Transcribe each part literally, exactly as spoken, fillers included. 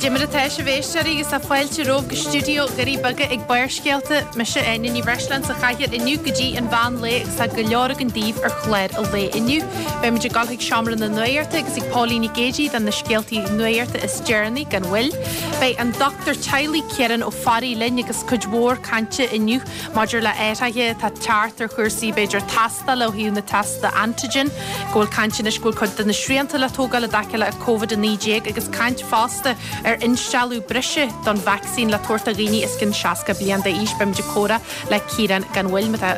Goidé mar atá sibh, a éisteoirí, agus tá fáilte romhaibh go stiúideo Dhoirí Beaga ag Barrscéalta. Mise Áine Ní Bhreisleáin sa chathaoir inniu go dtí an mheán lae agus tá go leor againn daoibh ar chlár an lae inniu. Beimid ag dul chuig seomra na nuachta agus ag Póilín Nic Géidigh do na scéaltaí nuachta is deireanaí gan mhoill. Beidh an dochtúir teaghlaigh Ciarán Ó Fearraigh linn agus cuid mhór cainte inniu maidir le athruithe atá ag teacht ar chúrsaí b'fhéidir tástála ó thaobh na tástála antigen, go bhfuil caint anois go bhfuil cuid de na srianta le tógáil i dtaca le Covid a naoi déag agus caint fosta ar instealladh breise don vacsaín le tabhairt do dhaoine os cionn seasca bliain d'aois. Beimid ag comhrá le Ciarán gan mhoill má tá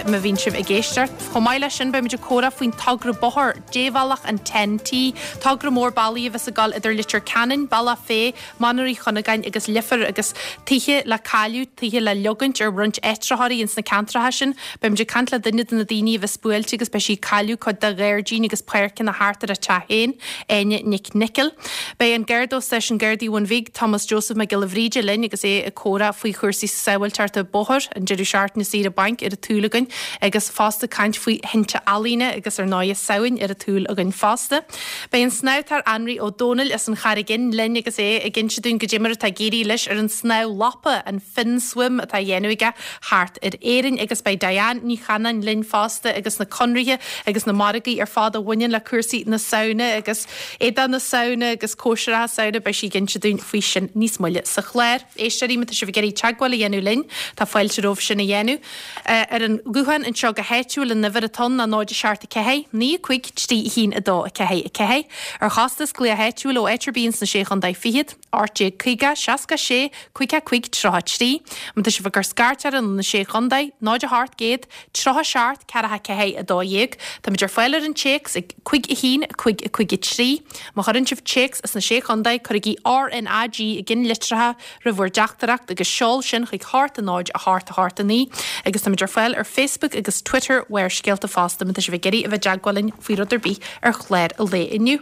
má bhíonn sibh ag éisteacht. Chomh maith leis sin beimid ag comhrá faoin togra bóthair débhealach an Ten T, togra mór bealaí a bheas ag dul idir Leitir Ceanainn, Bealach Féich, Mainír Uí Chuinneagáin agus Leifear agus tithe le cailleadh, tithe le leogaint ar roinnt áitritheoirí ins na ceantracha sin. Beimid ag caint le duine de na daoine a bheas buailte agus beidh sí ag cailleadh cuid de ghairdín agus páirceanna thart ar a teach féin, Áine Nic Nicol. Beidh an Garda ó Stáisiún Gardaí Bhun Bhig, Thomas Joseph Mac Giolla Bhríde linn agus é ag comhrá faoi chúrsaí sábháilteachta bóthair, an deireadh seachtaine saoire bainc ar an tsúil againn agus fosta caint faoi thinte ealaíne agus ar ndóigh Samhain ar an tsúil againn fosta. Beidh an snámhtóir Anraí Ó Dónaill as an Charraig Fhinn linn agus é ag inse dúinn goidé mar atá ag éirí leis ar an snámh lapa, an fin swim atá á dhéanamh aige thart ar Éirinn agus beidh Diane Ní Chanáin linn fosta agus na conraithe agus na margaí ar fad a bhaineann le cúrsaí na Samhna agus éadaí na Samhna agus cóisireacha Samhna beidh sí ag inse dúinn faoi sin níos moille sa chlár. Éisteoirí má tá sibh ag iarraidh teagmháil a dhéanamh linn, tá fáilte romhaibh sin a dhéanamh. Ar an ghuthán anseo go háitiúil an uimhir atá ann ná náid a seacht a ceathair, naoi a cúig, trí a haon a dó a ceathair a ceathair. Ar chostas glaoch áitiúil ó áit ar bith ins na Sé Chontae Fichead, ocht déag caoga, seasca sé, caoga cúig, tríocha trí. Má tá sibh ag cur scairt orainn ó na Sé Chontae, náid a hocht gcéad, tríocha seacht, ceathracha ceathair a dó dhéag. Táimid ar fáil ar an téacs ag cúig a haon, cúig a cúig a trí. Má chuireann sibh téacs as na Sé Chontae, cuirigí R N A G i gceannlitreacha roimh bhur dteachtaireacht agus seol sin chuig hocht a náid a hocht a hocht a naoi. Agus táimid ar fáil ar Facebook agus Twitter Bharrscéalta fosta má tá sibh ag iarraidh a bheith i dteagmháil linn faoi rud ar bith ar chlár an lae inniu.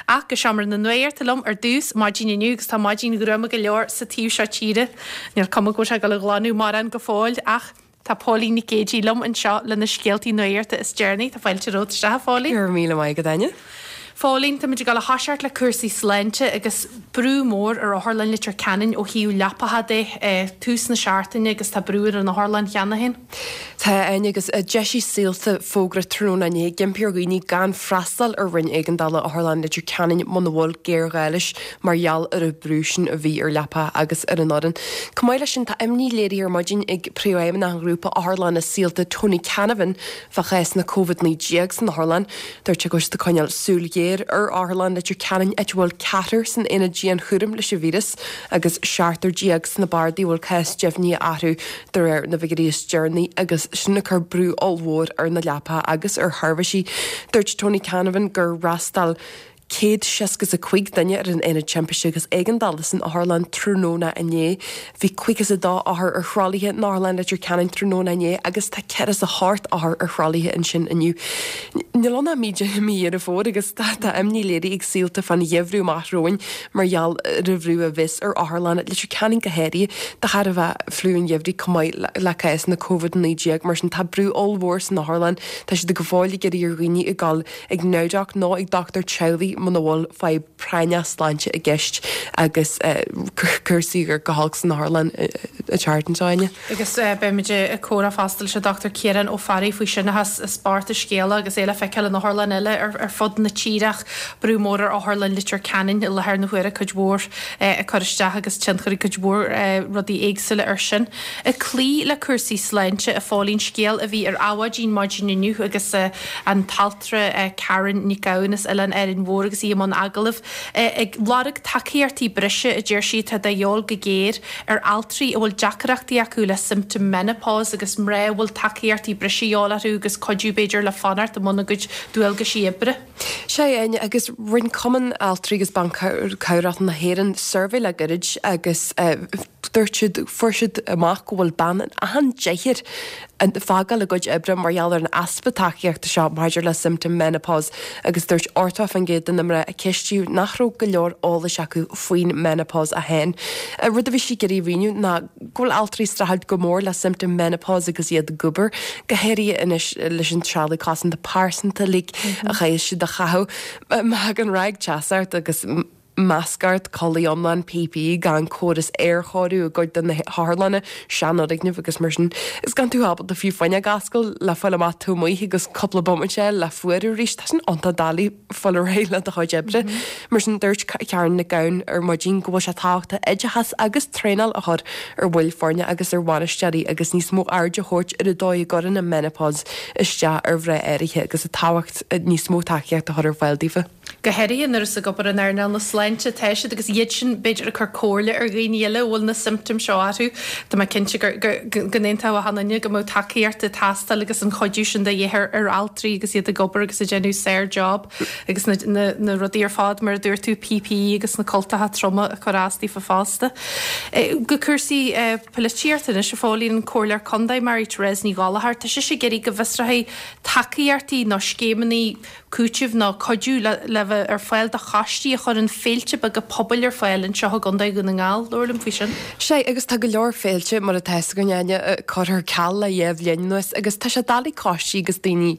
Ach go seomra na nuachta liom ar dtús maidin inniu agus tá maidin ghruama go leor sa taobh seo tíre. Níl cuma go bhfuil sé ag dul a ghlanadh mórán go fóill ach tá Póilín Nic Géidigh liom anseo le na scéaltaí nuachta is deireanaí. Tá fáilte romhat isteach, a Phóilín. Go raibh míle maith agat, Áine. Phóilín, táimid ag dul a thoiseacht le cúrsaí sláinte agus brú mór ar Otharlann Leitir Ceanainn ó thaobh leapacha de tús na seachtaine agus tá brú ar an otharlann cheana féin. Tá, Áine, agus d'eisigh Saolta fógra tráthnóna inné ag impí ar dhaoine gan freastal ar roinn éigeandála Otharlann Leitir Ceanainn muna bhfuil géarghá leis mar gheall ar an brú sin a bhí ar leapacha agus ar an fhoireann. Chomh maith leis sin tá imní léirithe ar maidin ag príomhfheidhmeannach an ghrúpa Otharlanna Saolta Tony Canavan fá chásanna Covid naoi déag san otharlann. Dúirt sé go bhfuil siad ag coinneáil súil ghéar ar Otharlann Leitir Ceanainn áit a bhfuil ceathrar san aonad dianchúraim leis an víreas agus seachtar déag sna bardaí a bhfuil cás deimhnithe orthu de réir na bhfigiúirí is deireanaí agus sin ag cur brú ollmhór ar na leapacha agus ar sheirbhísí. Dúirt Tony Canavan gur fhreastail céad seasca a cúig duine ar an aonad timpiste agus éigeandála san otharlann tráthnóna inné. Bhí caoga is a dó othar ar thralaithe in Otharlann Leitir Ceanainn tráthnóna inné agus tá ceithre is a hocht othar ar thralaithe ansin inniu. Níl ann ach mí mí Dheireadh Fómhair agus tá tá imní léirithe ag Saolta fán gheimhreadh amach romhainn mar gheall ar an bhrú a bheas ar Otharlann Leitir Ceanainn go háirithe de thairbhe fliú an gheimhridh chomh maith le, le cásanna Covid naoi déag mar sin tá brú ollmhór san otharlann. Tá siad go fóill ag iarraidh ar dhaoine ag dul ag NowDoc nó ag dochtúir teaghlaigh muna bhfuil fadhb práinneach sláinte i gceist agus cúrsaí go holc san otharlann an tseachtain seo, Áine. Agus beimid ag comhrá fosta leis an Dochtúir Ciarán Ó Fearraigh faoi sin is spórt a scéala agus é le feiceáil in otharlann eile ar, ar fud na tíre ach brú mór ar Otharlann Leitir Ceanainn i láthair na huaire cuid mhór ag cur isteach agus tionchar ag cuid mhór rudaí éagsúla ar sin. Ag cloí le cúrsaí sláinte, a Phóilín, scéal a bhí ar Adhmhaidin maidin inniu agus an t-altra Karen Nic Gabhann as Oileán Árainn Mhór agus í i mbun agallaimh ag lorg tacaíochtaí breise a deir sí atá de dhíobháil go géar ar altraí a bhfuil deacrachtaí acu le symptom menopause agus mná a bhfuil tacaíochtaí breise de dhíobháil orthu agus cuidiú b'fhéidir le fanacht i mbun a gcuid dualgaisí oibre. Sé Áine agus rinne Cumann Altraí agus Ban Cabhrach na hÉireann suirbhé le gairid agus dúirt siad fuair siad amach go bhfuil bean in achan deichniúr ag fágáil a gcuid oibre mar gheall ar an easpa tacaíochta seo maidir le symptom menopause agus dúirt ochtó faoin gcéad de na mná a ceistíodh nach raibh go leor eolais acu faoin menopause a haon. Rud a bhí sí ag iarraidh a mhíniú ná go bhfuil altraí ag streachailt go mór le symptom menopause agus iad ag obair go háirithe anois leis an trealamh cosanta pearsanta like a chaithfidh siad a chaitheamh. Má thagann ráig teasa ort agus Masc ort, culaith iomlán P P E, gan córas aerchóiriú i gcuid de na hotharlanna, seanfhoirgnimh agus mar sin, is gan tú ábalta fiú fuinneog a oscailt le fáil amach taobh amuigh agus cúpla bomaite eile le fuarú arís. Tá sin iontach doiligh fáil ar aghaidh le do chuid oibre. Mar sin dúirt Karen Nic Gabhann ar maidin go bhfuil sé tábhachtach oideachas agus traenáil a chur ar bhaill foirne agus ar bhainisteoirí agus níos mó aird a thabhairt ar an dóigh a gcuireann an menopause isteach ar mhná áirithe agus an tábhacht níos mó tacaíocht a chur ar fáil daofa. Go háirithe nuair is ag obair in earnáil na sláinte atá siad agus iad sin b'fhéidir ag cur comhairle ar dhaoine eile a bhfuil na symptoms seo orthu. Tá mé cinnte go n-aontódh achan duine go mbeadh tacaíocht ag teastáil agus an chuidiú sin de dhíth ar ar altraí agus iad ag obair agus ag déanamh sár-job agus na, na, na rudaí ar fad mar a dúirt tú, P P E agus na cultacha troma a chur as daofa fosta. Go cúrsaí polaitíochta anois, a Phóilín, an Comhairleoir Contae Mary Therese Ní Ghallchóir, tá sise ag iarraidh go bhfiosrófaí tacaíochtaí nó scéimeanna cúitimh nó cuidiú le, le bheith ar fáil do choistí a chuireann féilte beaga pobail ar fáil anseo i gContae Dhún na nGall. Labhair liom faoi sin. Sé agus tá go leor féilte mar atá againn Áine curtha ar ceal le dhá bhliain anuas agus tá sé doiligh coistí agus daoine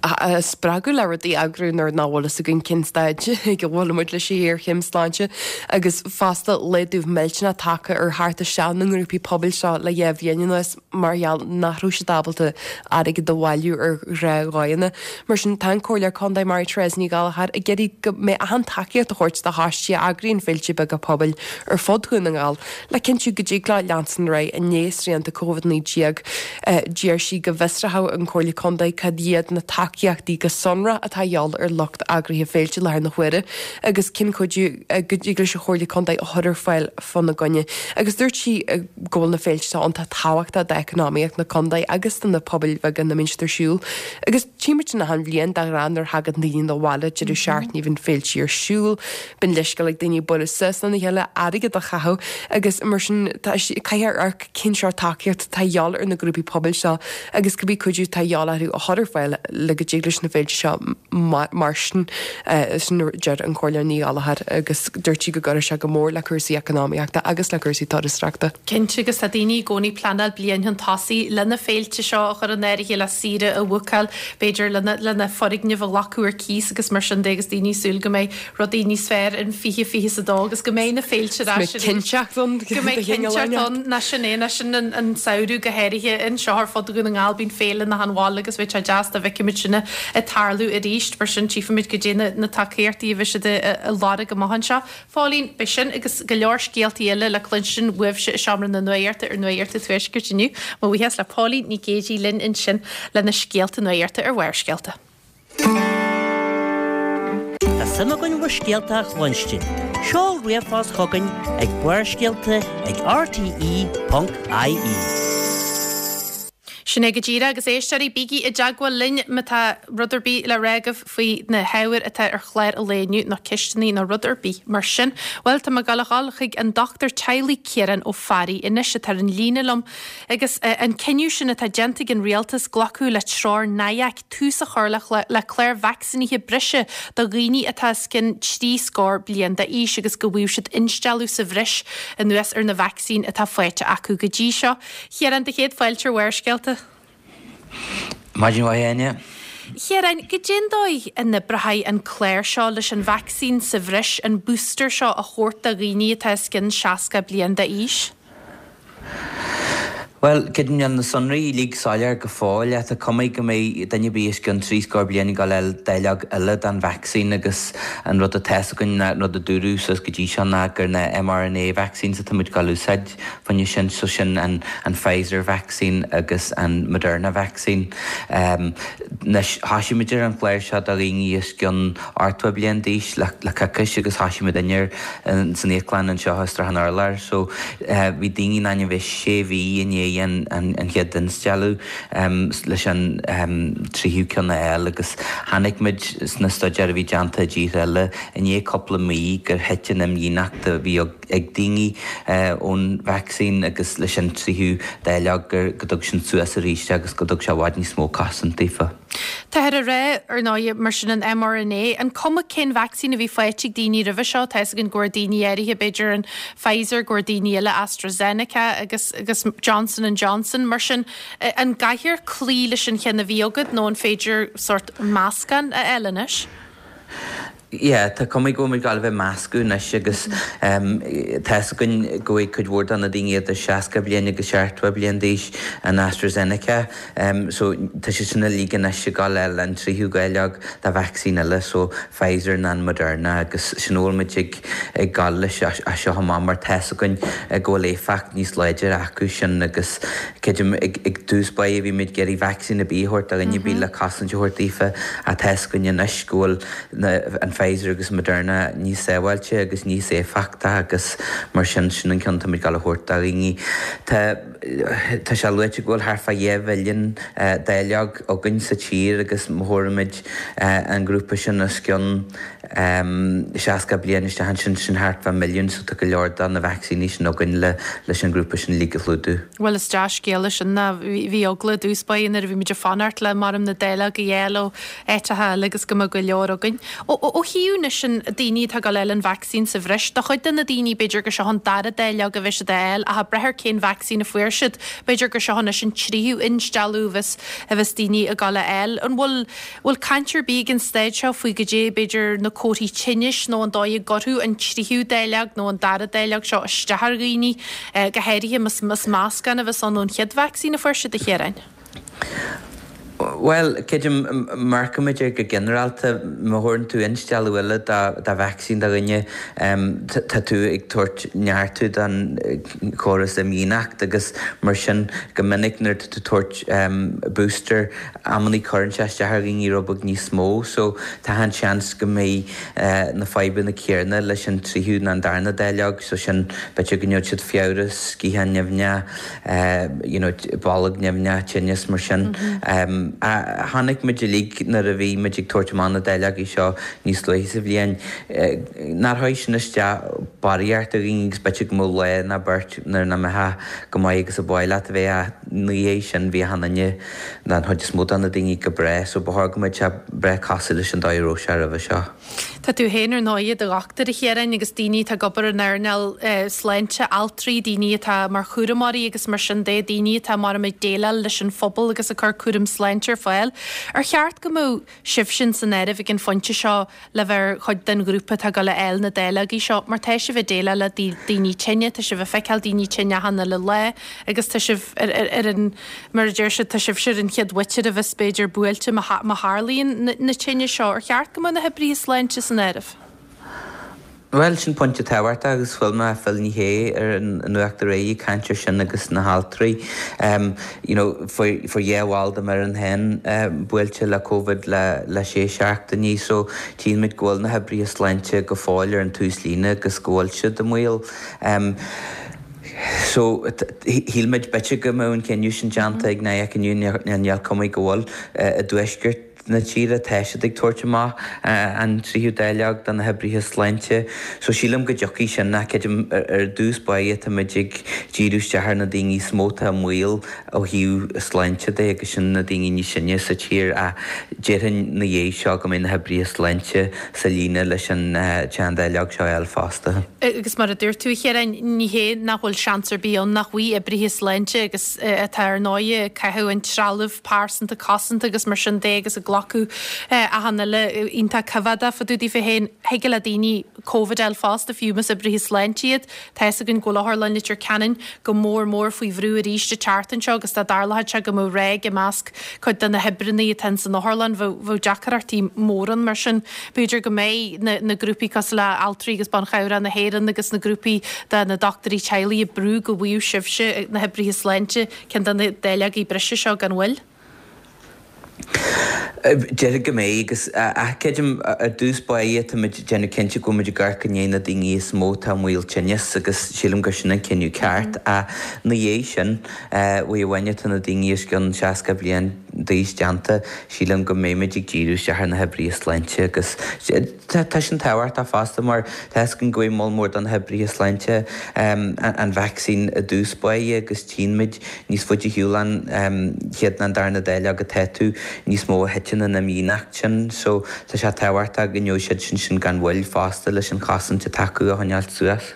a spreagadh le rudaí a eagrú nuair nach bhfuil fhios againn cén staid go bhfuil muid leis an ghéarchéim sláinte agus fosta laghdú millteanach tagtha ar theacht isteach na ngrúpaí pobail seo le dhá bhliain anuas mar gheall nach raibh siad ábalta airgead a bhailiú ar ghnáthdhóigheanna. Mar sin tá an Comhairleoir Contae Mary Therese Ní Ghallchóir ag iarraidh go mbeidh achan tacaíocht a thabhairt do choistí a eagraíonn féilte beaga pobail ar fud Dhún na nGall le cinntiú go dtig leo leanstan ar aghaidh i ndiaidh srianta Covid naoi déag. Deir sí go bhfiosródh an Comhairle Contae cad iad na tacaíochtaí go sonrach atá de dhíth ar lucht eagraithe féilte láthair na huaire agus cén cuidiú go dtig leis an Chomhairle Contae a chur ar fáil fána gcoinne. Agus dúirt sí go bhfuil na féilte iontach tábhachtach d'eacnamaíocht na contae agus do na pobail bheaga ina mbíonn siad ar siúl. Agus tímid na han bhliain de ghnáth nuair a thagann daoine na bhaile deireadh seachtaine bíonn féilte ar siúl, bíonn leithscéal ag daoine bualadh suas lena chéile, airgead a chaitheamh agus mar sin caithfear amharc cén sórt tacaíocht atá de dhíth ar na grúpaí pobail seo agus cibé cuidiú atá de dhíth orthu a chur ar fáil le go dtig leis na féilte seo mar sin sin deir an Comhairleoir Ní Ghallchóir agus dúirt sí go gcuirfeadh sé go mór le cúrsaí eacnamaíochta agus le cúrsaí turasóireachta. Cinnte, agus tá daoine i gcónaí pleanáil bliain chun tosaigh lena féilte seo a chur in áirithe, le saoire a bhookáil, b'fhéidir lena lena foirgneamh a ghlacadh ar cíos agus mar sin de, agus daoine súil go mbeidh rudaí níos fearr in fiche fiche a dó agus go mbeidh na féilte ar ais arís. Cinnteacht ann. Go mbeidh cinnteacht ann ná sin é ná sin an an samhradh go háirithe anseo ar fud Dhún na nGall bíonn féile na han bhaile agus bheadh sé deas dá bhfeicfimid sin ag tarlú arís, mar sin tchífimid goidé na na tacaíochtaí a bheidh siad ag lorg amach anseo. Phóilín, beidh sin agus go leor scéaltaí eile le cluinstin uaibhse i seomra na nuachta ar Nuacht an Tuaiscirt inniu. Mo bhuíochas le Póilín Ní Ghéidigh linn ansin lena scéalta nuachta ar Bharrscéalta. Tá suim againn bhur scéalta a chluinstin. Seol ríomhphost chugainn ag Barrscéalta ag R T E ponc I E. Sin é go díreach, agus éisteoirí, bígí i dteagmháil linn má tá rud ar bith le rá agaibh faoi na hábhair atá ar chlár an lae inniu nó ceisteanna nó rud ar bith mar sin. Bhuel, tá mé ag gabháil a dhul chuig an Dochtúir Teaghlaigh Ciarán Ó Fearraigh anois atá ar an líne liom agus an cinneadh sin atá déanta ag an rialtas glacadh le treoir N I A C tús a chur le le clár vacsaínithe breise do dhaoine atá os cionn trí scór bliain d'aois agus go bhfuil siad instealladh sa bhreis anuas ar na vacsaín atá faighte acu go dtí seo. Ciarán, do chéad fáilte ar Bharrscéalta. Maidin mhaith, Áine. Chiaráin, goidé an dóigh a n-oibreoidh an clár seo leis an vacsaín sa bhreis, an booster seo a thabhairt do dhaoine atá os cionn seasca bliain d'aois? Well, níl na sonraí uilig soiléir go fóill. Tá cuma go mbeidh duine ar bith os cionn trí scór bliain ag dul a fháil dáileog eile den vacsaín agus an rud atá againn ná rud a dúradh suas go dtí seo ná gur na m R N A vaccines atá muid ag úsáid fá choinne sin, so sin an, an Pfizer vaccine agus an Moderna vaccine. Um, Anois thosaigh muid ar an chlár seo do dhaoine os cionn ochtó bliain d'aois le, le coicís agus thosaigh muid inné san íoclann anseo i Srath an Urláir, so uh, bhí daoine in ann bheith sé mhí i ndiaidh an, an, an chéad instealladh um, leis an um, tríú ceann eile agus chonaic muid sna staidéir a bhí déanta i dtíortha eile i ndiaidh cúpla mí gur thit an imdhíonacht a bhí ag daoine uh, ón vaccine agus leis an tríú dáileog gur go dtug sin suas arís agus go dtug sé i bhfad níos mó cosaint daofa. Tá ar ré ar ndóigh mar sin an m R N A, an cuma cén vacsaín a bhí faighte ag daoine roimhe seo? Tá an go daoine áirithe b'fhéidir an Pfizer, go daoine eile AstraZeneca agus agus Johnson and Johnson, mar sin an gcaithfear cloí leis an cheann a bhí agat nó an féidir sort meascán a fháil anois? Yeah, tá cuma go bhfuil muid ag gabháil a bheith ag meascadh anois agus tá 'fhios againn go bhfaighidh cuid mhór de na daoine idir seasca bliain agus seachtó bliain d'aois an AstraZeneca so tá siad sin uilig anois ag gabháil a fháil an tríú dáileog de vacsaín eile so Pfizer nó an Moderna agus sin a bhfuil muid ag ag gabháil leis as seo amach mar tá 'fhios againn go bhfuil éifeacht níos láidre acu sin agus creidim ag ag dtús báire bhí muid ag iarraidh vacsaín ar bith a thabhairt do dhuine ar bith le cosaint a thabhairt daofa ach tá 'fhios againn anois go bhfuil na an Pfizer agus Moderna níos sábháilte agus níos éifeachta agus mar sin, sin an ceann atá muid ag gabháil a thabhairt do dhaoine. Tá tá sé luaite go bhfuil thart fá dhá mhilliún dáileog againn sa tír agus má thabhraimid an grúpa sin os cionn seasca bliain isteach ansin, sin thart fá milliún so tá go leor de na vacsaíní sin againn le leis an ngrúpa sin uilig a chlúdú. Bhuel is dea-scéala sin ná bhí eagla i dtús báire nuair a bhí muid ag fanacht le maram na dáileoga a fháil ó áiteacha eile agus go mbeadh go leor againn. Ó thaobh anois an daoine atá ag gabháil a fháil an vacsaín sa bhreis, do chuid de na daoine b'fhéidir gur seo an dara dáileog a bheidh siad a fháil ach ag brath ar cén vacsaín a fuair siad, b'fhéidir gur seo anois an tríú instealladh a bheas a bheas daoine ag gabháil a fháil. An bhfuil bhfuil caint ar bith ag an staid seo faoi goidé b'fhéidir na comharthaí tinnis nó an dóigh a gcuirfeadh an tríú dáileog nó an dara dáileog seo isteach ar dhaoine, go háirithe más meascán a bheas ann ón chéad vacsaín a fuair siad, a Chiaráin? Bhuel, creidim, amharcaimid air go ginearálta, má thabhrann tú instealladh eile de vacsaín do dhuine, tá tú ag tabhairt neartú don chóras imdhíonachta agus mar sin, go minic nuair atá tú ag tabhairt booster, amannaí cuireann sé isteach ar dhaoine rud beag níos mó. So, tá an seans go mbeidh na fadhbanna céanna leis an tríú nó an darna dáileog, so sin, b'fhéidir go ngeobhaidh siad fiabhras, sciathán nimhneach, you know, bolg nimhneach, tinneas mar sin. Chonaic muid uilig nuair a bhí muid ag tabhairt amach na dáileogaí seo níos luaithe sa bhliain nár chuir sin isteach barraíocht ar dhaoine agus b'fhéidir go mbeadh lá nó beirt nuair nach mbeifeá go maith agus a ba mhaith leat a bheith ach ina dhiaidh sin bhí achan duine nó an chuid is mó de na daoine go breá so ba chóir go mbeadh sé breá cosúil leis an dóigh a raibh sé roimhe seo. Tá tú féin ar ndóigh i do dhochtúir, a Chiaráin, agus daoine atá ag obair in earnáil sláinte, altraí, daoine atá mar chúramóirí agus mar sin de, daoine atá mar ag déileáil leis an phobal agus ag cur cúram sláinte ar fáil. Ar cheart go mbeadh sibhsean san áireamh ag an phointe seo le bheith ar chuid den ghrúpa atá ag dul a fháil na dáileogaí seo mar tá sibh ag déileáil le daoine tinne, tá sibh ag feiceáil daoine tinne achan uile lá agus tá sibh ar an, mar a deir siad, tá sibhse ar an chéad mhuintir a bheas b'fhéidir buailte má tharlaíonn na tinnis seo. Ar cheart go mbeadh na hoibrithe sláinte san áireamh? Bhuel, sin pointe tábhachtach agus chuala mé Phil Ní Sheaghdha ar an Nuacht aréir ag caint ar sin agus na haltraí. You know, fuair dhá bhall de m'fhoireann féin buailte le Covid le le sé seachtainí so tchíonn muid go bhfuil na hoibrithe sláinte go fóill ar an tús líne agus go bhfuil siad i mbaol. So, shíl muid b'fhéidir go mbeadh an cinneadh sin déanta ag NIAC inniu, níl cuma go bhfuil i dtuaisceart na tíre, tá siad ag tabhairt amach an tríú dáileog do na hoibrithe sláinte. So sílim go dtiocfaidh sin ach creidim ar dtús báire tá muid ag díriú isteach ar na daoine is mó atá i mbaol ó thaobh sláinte de agus sin na daoine níos sine sa tír ach déarfainn ina dhiaidh seo go mbeidh na hoibrithe sláinte sa líne leis an tsean-dáileog seo a fháil fosta. Agus mar a dúirt tú, a Chiaráin, ní hé nach bhfuil seans ar bith ann nach bhfaighidh oibrithe sláinte agus atá ar ndóigh ag caitheamh an trealamh pearsanta cosanta agus mar sin de agus ag glacadh achan uile iontach coimheádach fá dtaobh daofa féin, thig le daoine Covid a fháil fosta, fiú más oibrithe sláinte iad. Tá fhios againn go bhfuil Otharlann Leitir Ceanainn go mór mór faoi bhrú arís an tseachtain seo agus dá dtarlódh sé go mbeadh ráig i measc cuid de na hoibreanna atá ins an otharlann, bheadh deacrachtaí móra ann. Mar sin, b'fhéidir go mbeidh na grúpaí cosúil le Altraí agus Ban Chabhrach na hÉireann agus na grúpaí de na dochtúirí teaghlaigh ag brú go bhfaigheadh sibhse, na hoibrithe sláinte, ceann de na dáileogaí breise seo gan mhoill. Déarfainn go mbeidh agus ach creidim ar dtús báire tá muid ag déanamh cinnte go bhfuil muid ag amharc i ndiaidh na daoine is mó atá i mbaol tinnis agus sílim gur sin an cinneadh ceart ach ina dhiaidh sin uair amháin atá na daoine os cionn seasca bliain d'aois déanta sílim go mbeidh muid ag díriú isteach ar na hoibrithe sláinte agus tá sin tábhachtach fosta mar tá fhios againn go bhfuil moll mór de na hoibrithe sláinte an vacsaín i dtús báire agus tchíonn muid Níos faide ar shiúl an chéad ná an darna dáileog atá tú, níos mó a thiteann an imdhíonacht sin so tá sé tábhachtach go ngeobhaidh siad sin sin gan mhoill fosta leis an chosaint atá acu a choinneáilt suas.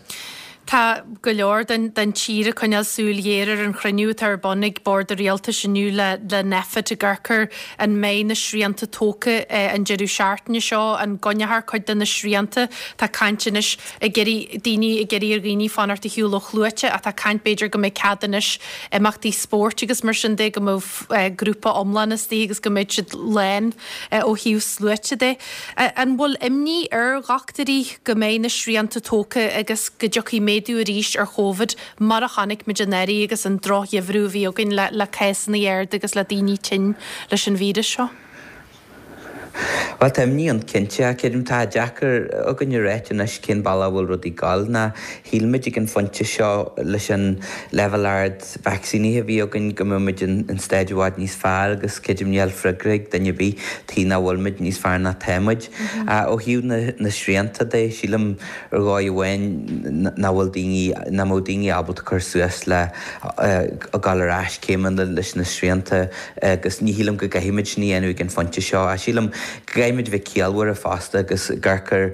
Tá go leor den den tír ag coinneáil súil ghéar ar an chruinniú atá ar bun ag Bord an Rialtais inniu le le Nphet ag amharc ar an mbeidh na srianta tógtha an deireadh seachtaine seo, an gcoinneofar cuid de na srianta. Tá caint anois ag iarraidh daoine ag iarraidh ar dhaoine fanacht ar shiúl ó shluaite ach tá caint b'fhéidir go mbeidh cead anois imeachtaí spóirt agus mar sin de go mbeadh grúpa iomlán istigh agus go mbeidh siad lán ó thaobh sluaite de. An bhfuil imní ar dhochtúirí go mbeidh na srianta tógtha agus go dtiocfaidh méadú arís ar Chóvid mar a chonaic muid anuraidh agus an drochgheimhreadh a bhí againn le le cásanna arda agus le daoine tinn leis an víreas seo? Bhuel tá imní ann cinnte ach creidim tá deacair againn a ráit anois cén bealach a bhfuil rudaí ag gabháil ná shíl muid ag an phointe seo leis an leibhéal ard vacsaínithe a bhí againn go mbeadh muid in in staid i bhfad níos fearr agus creidim níl freagra ag duine ar bith tuige nach bhfuil muid níos fearr ná tá muid. Ó thaobh na na srianta de sílim ar dhóigh amháin nach bhfuil daoine, nach mbeadh daoine ábalta cur suas le dul ar ais céimeanna leis na srianta agus ní shílim go gcaithfimid sin a dhéanamh ag an phointe seo. Ach sílim go gcaithfimid bheith ciallmhar fosta agus amharc ar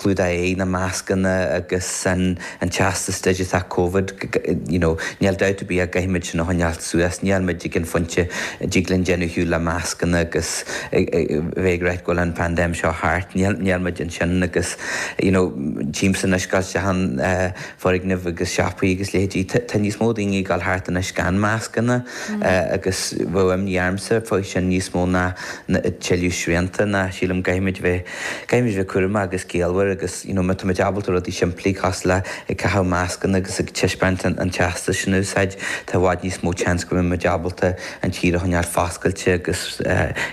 clúdach aghaidhe, na mascanna agus an teastas digiteach Covid, you know, níl dabht ar bith go gcaithfimid sin a choinneáil suas. Níl muid ag an phointe a dtig linn déanamh ar shiúl le mascanna agus bheith ag ráit go bhfuil an phaindéim seo thart. Níl, níl muid ansin agus, you know, tchímse anois ag dul isteach in foirgnimh agus siopaí agus leithéidí, tá níos mó daoine ag dul thart anois gan mascanna agus bheadh imní ormsa faoi sin níos mó ná tuilleadh srianta ná sílim caithfimid bheith, caithfimid bheith cúramach agus ciallmhar agus, you know, má táimid ábalta rudaí simplí cosúil le ag caitheamh mascanna agus ag taispeáint an teastas sin a úsáid, tá i bhfad níos mó seans go mbeimid ábalta an tír a choinneáil foscailte agus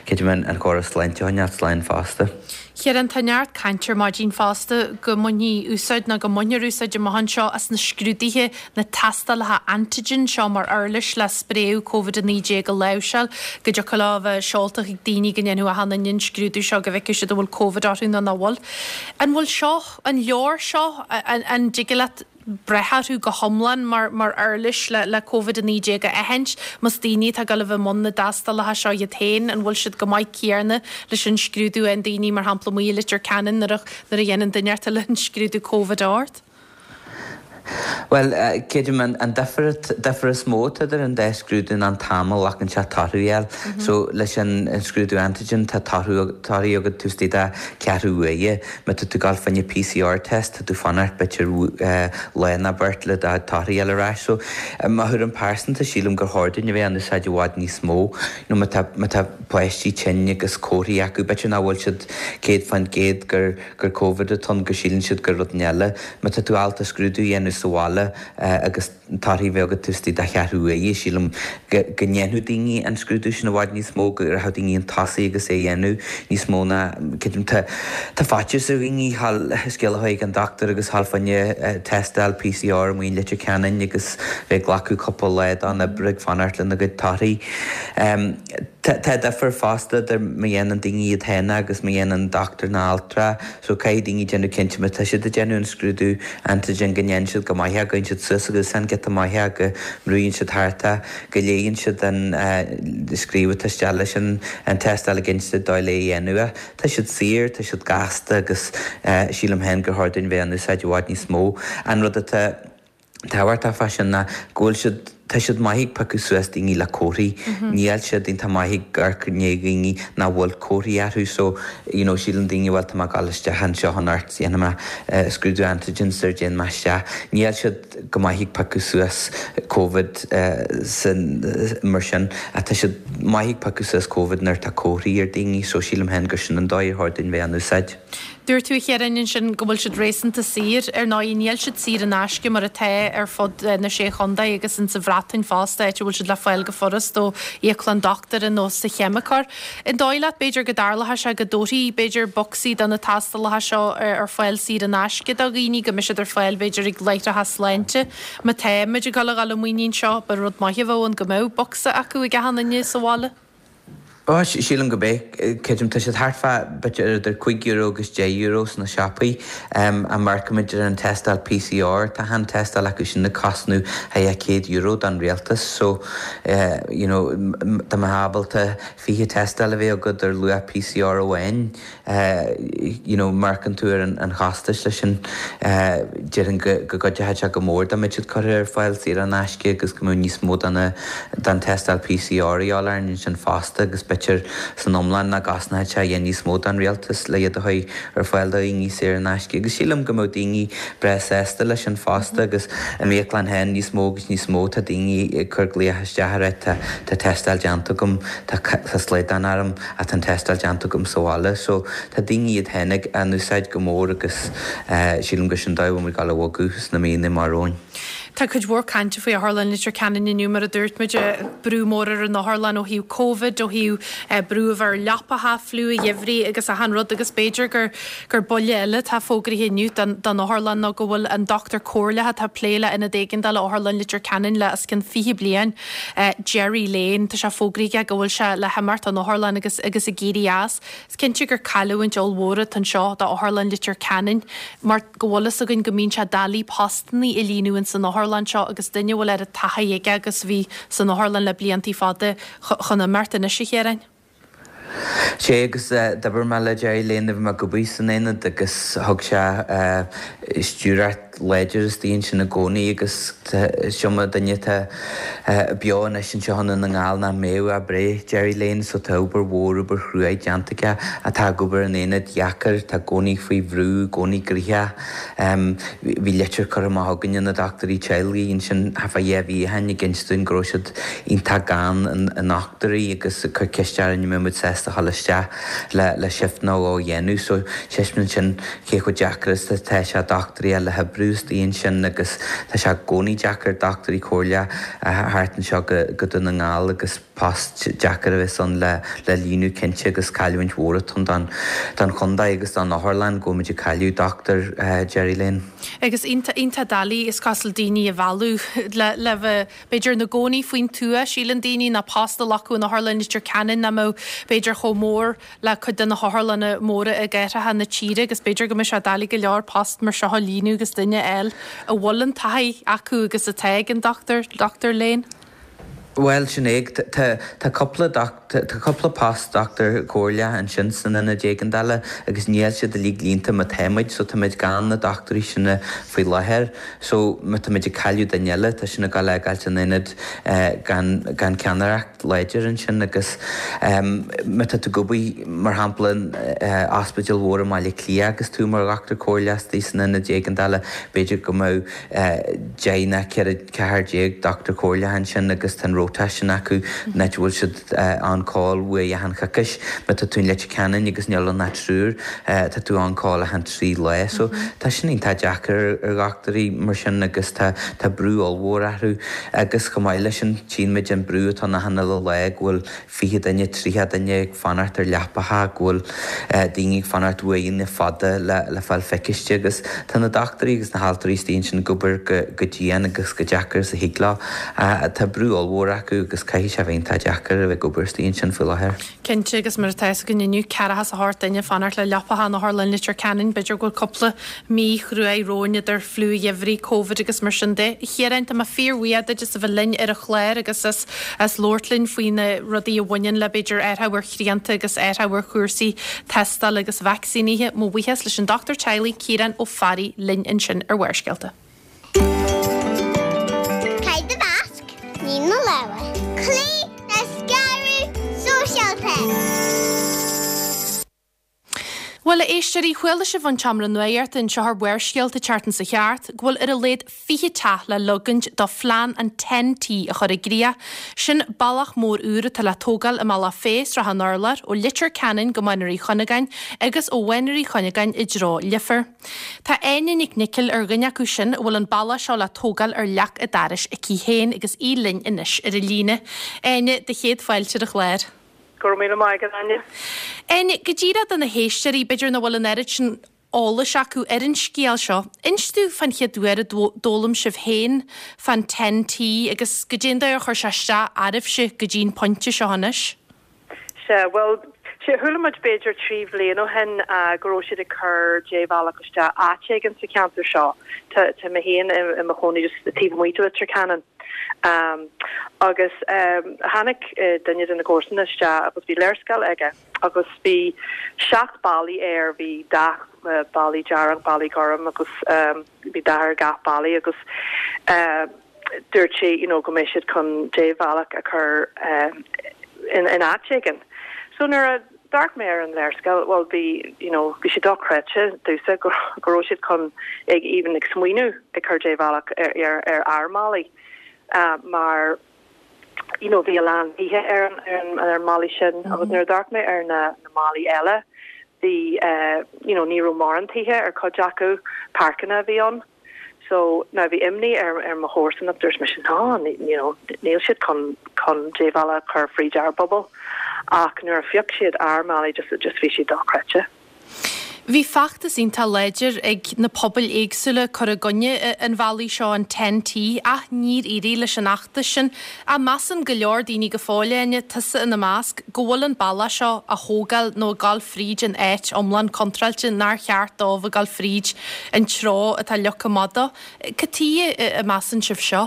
creidim an córas sláinte a choinneáil slán fosta. Ciarán, tá neart cainte ar maidin fosta go mbainfí úsáid nó go mbainfear úsáid amach anseo as na scrúduithe, na tástálacha antigen seo mar uirlis le spréadh Covid a naoi déag a láimhseáil, go dtiocfadh leo a bheith seolta chuig daoine go ndéanfadh achan duine an scrúdú seo go bhfeicfeadh siad an bhfuil Covid orthu nó nach bhfuil. An bhfuil seo, an leor seo, an dtig leat breith orthu go hiomlán mar mar uirlis le le Covid a naoi déag a aithint? Más daoine atá ag dul a bheith i mbun na dtástálacha seo iad féin, an bhfuil siad go maith céarna leis an scrúdú a fhaigheann daoine, mar shampla amuigh i Leitir Ceanainn nuair a nuair a dhéanann duine eile an scrúdú Covid ort? Bhuel, creidim an difear difear is mó atá idir an dá scrúdú ná an t-am a ghlacann sé torthaí a fháil. So leis an scrúdú antigen tá torthaí torthaí agat taobh istigh de ceathrú uaire. Má tá tú ag dul fá choinne PCR test tá tú fanacht b'fhéidir lá nó beirt le do torthaí a fháil ar ais. So mo thuairim pearsanta sílim gur chóir dúinn a bheith á n-úsáid i bhfad níos mó. You know má tá má tá páistí tinn agus comharthaí acu b'fhéidir nach bhfuil siad céad faoin gcéad gur gur Covid atá ann go síleann siad gur rud eile. Má tá tú ábalta scrúdú a dhéanamh sa bhaile agus torthaí a bheith agat taobh istigh de cheathrú uaire, sílim go go ndéanfadh daoine an scrúdú sin i bhfad níos mó, go rachadh daoine chun tosaigh agus é a dhéanamh níos mó ná creidim tá tá faitíos ar dhaoine thall scéal a chur ag an dochtúir agus thall fá choinne tástáil PCR amuigh in Leitir Ceanainn agus bheith ag glacadh cúpla lá den oibre ag fanacht lena gcuid torthaí. Tá difear fosta idir má dhéanann daoine iad féin agus má dhéanann dochtúir nó altra, so caithfidh daoine déanamh cinnte má tá siad ag déanamh an scrúdú antigen go ndéanann siad go maith é, go gcuireann siad suas a gcosán giota maith é, go mbrúann siad thart é, go léann siad an scríobh atá isteach leis an tástáil ag inse dóigh le é a dhéanamh. Tá siad saor, tá siad gasta agus sílim féin gur chóir dúinn bheith á n-úsáid i bhfad níos mó. An rud atá tábhachtach fá sin ná go bhfuil siad, tá siad maith ag piocadh suas daoine le comharthaí. Níl siad iontach maith ag amharc i ndiaidh dhaoine nach bhfuil comharthaí orthu so you know síleann daoine bhuel tá mé ag dul isteach anseo anocht déanfaidh mé scrúdú antigen sar dtéann mé isteach. Níl siad go maith ag piocadh suas Covid san mar sin ach tá siad maith ag piocadh suas Covid nuair atá comharthaí ar daoine so sílim féin gur sin an dóigh ar chóir dúinn bheith á n-úsáid. Dúirt tú, a Chiaráin, ansin go bhfuil siad réasúnta saor. Ar ndóigh, níl siad saor in aisce mar atá ar fud na Sé Chontae agus insa Bhreatain fosta, áit a bhfuil siad le fáil go furast ó íoclann dochtúra nó sa cheimiceoir. An dóigh leat, b'fhéidir, go dtarlóidh sé go dtabharfaí, b'fhéidir, bocsaí de na tástálacha seo ar fáil saor in aisce do dhaoine, go mbeidh siad ar fáil, b'fhéidir, ag láithreacha sláinte? Má tá muid ag dul a dhul i muinín seo, ba rud maith a bheadh ann go mbeadh bocsa acu ag achan duine sa bhaile. Ó, sílim go mbeidh. Creidim, tá siad thart fá b'fhéidir idir cúig euro agus deich euro sna siopaí. Má amharcaimid ar an tástáil PCR, tá an tástáil acu sin ag cosnú thar céad euro don rialtas. So, you know, dá mbeifeá ábalta fiche tástáil a bheith agat ar luach PCR amháin, you know, amharcann tú ar an chostas leis sin, déarfainn go gcuideoidh sé go mór dá mbeadh siad curtha ar fáil saor in aisce agus go mbeadh níos mó den tástáil PCR a dhíobháil orainn ansin fosta agus b'fhéidir san iomlán nach gcosnódh sé a dhath níos mó don rialtas le iad a chur ar fáil do dhaoine saor in aisce agus sílim go mbeadh daoine breá sásta leis sin fosta agus i m'íoclann féin níos mó agus níos mó tá daoine ag cur glaoch isteach ag rá tá tástáil déanta agam tá slaghdán orm ach tá an tástáil déanta agam sa bhaile so tá daoine iad féin ag á n-úsáid go mór agus sílim gur sin dóigh a bhfuil muid ag dul a bhogadh sna míonna amach romhainn. Tá cuid mhór cainte faoi Otharlann Leitir Ceanainn inniu, mar a dúirt muid, brú mór ar an otharlann ó thaobh Covid, ó thaobh brú a bheith ar leapacha, fliú an gheimhridh agus achan rud agus b'fhéidir gur gur buille eile atá fógraithe inniu don don otharlann ná go bhfuil an dochtúir comhairleach atá ag plé le ionad éigeandála Otharlann Leitir Ceanainn le os cionn fiche bliain, Gerry Lane, tá sé fógraithe aige go bhfuil sé le himeacht ón otharlann agus agus ag éirí as. Is cinnte gur cailliúint ollmhór atá anseo d'Otharlann Leitir Ceanainn mar go bhfuil fhios againn go mbíonn sé doiligh postannaí a líonadh ins an otharlann seo agus duine a bhfuil oiread taithí aige agus a bhí san otharlann le bliantaí fada chun imeacht anois, a Chiaráin. Sé agus d'oibir mé le Gerry Lane nuair a bhí mé ag obair san aonad agus thug sé stiúrthóireacht láidir istigh ansin i gcónaí agus is iomaí duine atá beo anois anseo i nDún na nGall nach mbeadh ach breith Gerry Lane so tá obair mhór, obair chruaidh déanta aige atá ag obair in aonad dheacair, tá i gcónaí faoi bhrú, i gcónaí gnoitheach. Bhí litir curtha amach againne na dochtúirí teaghlaigh ansin thart fá dhá mhí ó shin ag inst dúinn go raibh siad iontach gann i ndochtúirí agus ag cur ceist orainn an mbeadh muid sásta a dhul isteach le le shift nó dhó a dhéanamh so taispeánann sin cé chomh deacair is atá sé dochtúirí a fháil le hoibriú istigh ansin agus tá sé i gcónaí deacair dochtúirí comhairleacha a theacht anseo go Dún na nGall agus post deacair a bheas ann le le líonadh cinnte agus cailliúint mhór atá ann don don chontae agus don otharlann go bhfuil muid ag cailleadh Dochtúir Gerry Lane. Agus iontach iontach doiligh is cosúil daoine a mhealladh le le bheith b'fhéidir ina gcónaí faoin tuath, síleann daoine ná post a ghlacadh in Otharlann Leitir Ceanainn nach mbeadh b'fhéidir chomh mór le cuid de na hotharlanna móra i gcathracha na tíre agus b'fhéidir go mbeidh sé doiligh go leor post mar seo a líonadh agus duine a fháil a bhfuil an taithí acu agus atá ag an Dochtúir Dochtúir Lane. Bhuel, sin é. Tá tá cúpla tá cúpla post dochtúir comhairleach ansin san ionad éigeandála agus níl siad uilig líonta mar atá muid so táimid gan na dochtúirí sin faoi láthair. So má táimid ag cailleadh duine eile tá sin ag dul a fhágáilt an ionad gan gan ceannaireacht láidir ansin agus má tá tú ag obair mar shampla in ospidéal mhór i mBaile Átha Cliath agus tú mar dhochtúir comhairleach istigh san ionad éigeandála b'fhéidir go mbeadh deich nó ceithre ceathair déag dochtúir comhairleach ansin agus tá an rotation acu an áit a bhfuil siad on call uair achan choicís. Má tá tú in Leitir Ceanainn agus níl ann ach triúr, tá tú on call achan trí lá. So tá sin iontach deacair ar dhochtúirí mar sin agus tá tá brú ollmhór orthu agus chomh maith leis sin tchíonn muid an brú atá ann achan uile lá go bhfuil fiche duine, tríocha duine ag fanacht ar leapacha, go bhfuil daoine ag fanacht uaireanta fada le le fáil feiciste agus tá na dochtúirí agus na haltraí istigh ansin ag obair go go dian agus go deacair is a thig leo. Tá brú ollmhór acu agus caithfidh sé a bheith iontach deacair a bheith ag obair istigh ansin faoi láthair. Cinnte, agus mar atá fhios againn inniu, ceathracha is a hocht duine ag fanacht le leapacha in Otharlann Leitir Ceanainn, b'fhéidir go bhfuil cúpla mí chruaidh romhainn idir fliú an gheimhridh, Covid agus mar sin de. A Chiaráin, tá mé fíorbhuíoch duit as a bheith linn ar an chlár agus as as labhairt linn faoi na rudaí a bhaineann le b'fhéidir athrú ar shrianta agus athrú ar chúrsaí tástála agus vacsaínithe. Mo bhuíochas leis an Dochtúir Teaghlaigh Ciarán Ó Fearraigh linn ansin ar Bharrscéalta. Caith do mhasc, nigh do lámha. Cloígh le scaradh sóisialta. Bhuel, a éisteoirí, chuala sibh ón tseomra nuachta anseo ar Bharrscéalta an tseachtain seo thart go bhfuil ar a laghad fiche teach le leagaint do phlean an Ten T a chur i gcrích. Sin bealach mór úr atá le tógáil i mBealach Féich, Srath an Urláir, ó Leitir Ceanainn go Mainéar Uí Chuinneagáin agus ó Mhainéar Uí Chuinneagáin i dtreo Leifear. Tá Áine Nic Niocaill ar dhuine acu sin a bhfuil an bealach seo le tógáil ar leac a dorais aici féin agus í linn anois ar an líne. Áine, do chéad fáilte ar an chlár. Go raibh míle maith agat, Áine. Áine, go díreach do na héisteoirí, b'fhéidir nach bhfuil an oiread sin eolais acu ar an scéal seo, inis dúinn fán chéad uair a d'fhoghlaim sibh féin fán Ten T agus goidé an dóigh ar chuir sé isteach oraibhse go dtí an pointe seo anois. Sea, bhuel, sea, chuala muid b'fhéidir trí bhliain ó shin go raibh siad ag cur débhealach isteach áit éigin sa cheantar seo. Tá tá mé féin i i mo chónaí just taobh amuigh de Leitir Ceanainn. Um, agus um, tháinig uh, duine de na comharsana isteach agus bhí léarscáil aige agus bhí seacht ballaí air, bhí dath uh, ballaí dearg, ballaí gorm agus um, bhí dath ar gach ballaí agus uh, dúirt sé you know, go mbeidh siad chun débhealach a chur um, in, in áit éigin. So nuair a d'amharc mé ar an léarscáil, well bhí you know, bhí sé dochreidte domhsa go go raibh siad chun ag even ag smaoineamh ag cur débhealach ar, ar, ar ár mballaí. Uh, mar you know, bhí a lán tithe ar an ar an ar an mballaí sin mm -hmm. agus nuair a d'amharc mé ar na, na ballaí eile bhí uh, you know, ní raibh mórán tithe ar cuid acu páirceanna a bhí ann. So now bhí imní ar ar mo chomharsan ach dúirt mise ná you know, níl siad chun chun débhealach chur fríd ár bpobal ach nuair a phioc siad ár mballaí just just bhí siad dochreidte. Bhí feachtas iontach láidir ag na pobail éagsúla cur i gcoinne an bhealaigh seo an Ten T ach níor éirigh leis an fheachtas sin a measann go leor daoine go fóill Áine tusa ina measc go bhfuil an bealach seo á thógáil nó ag dul fríd an áit iomlán contráilte nár cheart dóibh a ghabháil fríd an treo atá leagtha amach dó. Cad chuige a measann sibh seo?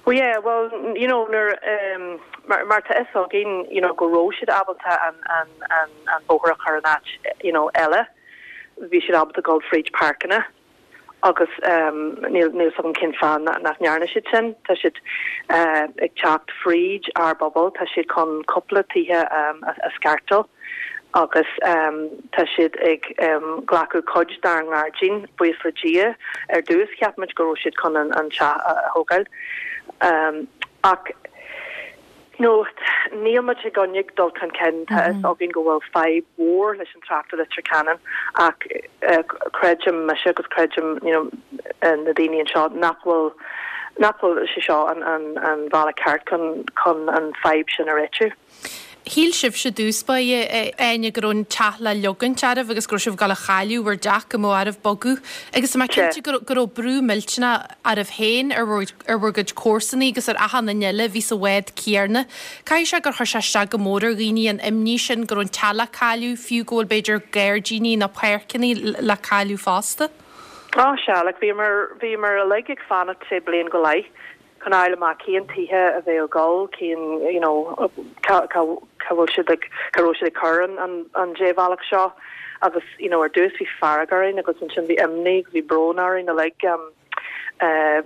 Well yeah, well you know nuair um, mar mar tá fhios againn you know go raibh siad ábalta an an an an bóthar a chur in áit you know eile bhí siad ábalta dul fríd páirceanna agus um, níl níl fhios agam cén fáth nach ndearna siad sin tá siad uh, ag teacht fríd ár bpobal tá siad chun cúpla tithe um, a, a scartáil agus um, tá siad ag um, glacadh cuid dár ngairdín buíochas le Dia ar dtús cheap muid go raibh siad chun an, an teach a, a thógáil. Um, ach no, níl muid i gcoinne dul chun cinn tá fhios againn go bhfuil fadhb mhór leis an trácht i Leitir Ceanainn ach uh, creidim mise agus creidim you know, uh, na daoine anseo nach bhfuil nach bhfuil sé seo an, an, an bealach ceart chun, chun an fadhb sin a réitiú. Shíl sibhse i dtús báire Áine go raibh an teach le leogaint oraibh agus go raibh sibh ag gabháil a chailleadh bhur dteach go mbeadh oraibh bogadh agus má cinnte go raibh brú millteanach oraibh féin ar ar bhur gcuid comharsanaí agus ar achan duine eile bhí sa bhád céanna. Caithfidh sé gur chuir sé isteach go mór ar dhaoine an imní sin go raibh an teach le cailleadh fiú go bhfuil b'fhéidir gairdíní nó páirceanna le cailleadh fosta. Á sea, like bhíomar bhíomar uilig ag fanacht sé bliain go leith chun fháil amach cén tithe a bheadh ag dul cén you know cá cá cá bhfuil siad ag cá raibh siad ag cur an an, an débhealach seo agus you know ar dtús bhí fearg orainn agus ansin bhí imní bhí brón orainn uilig um, uh,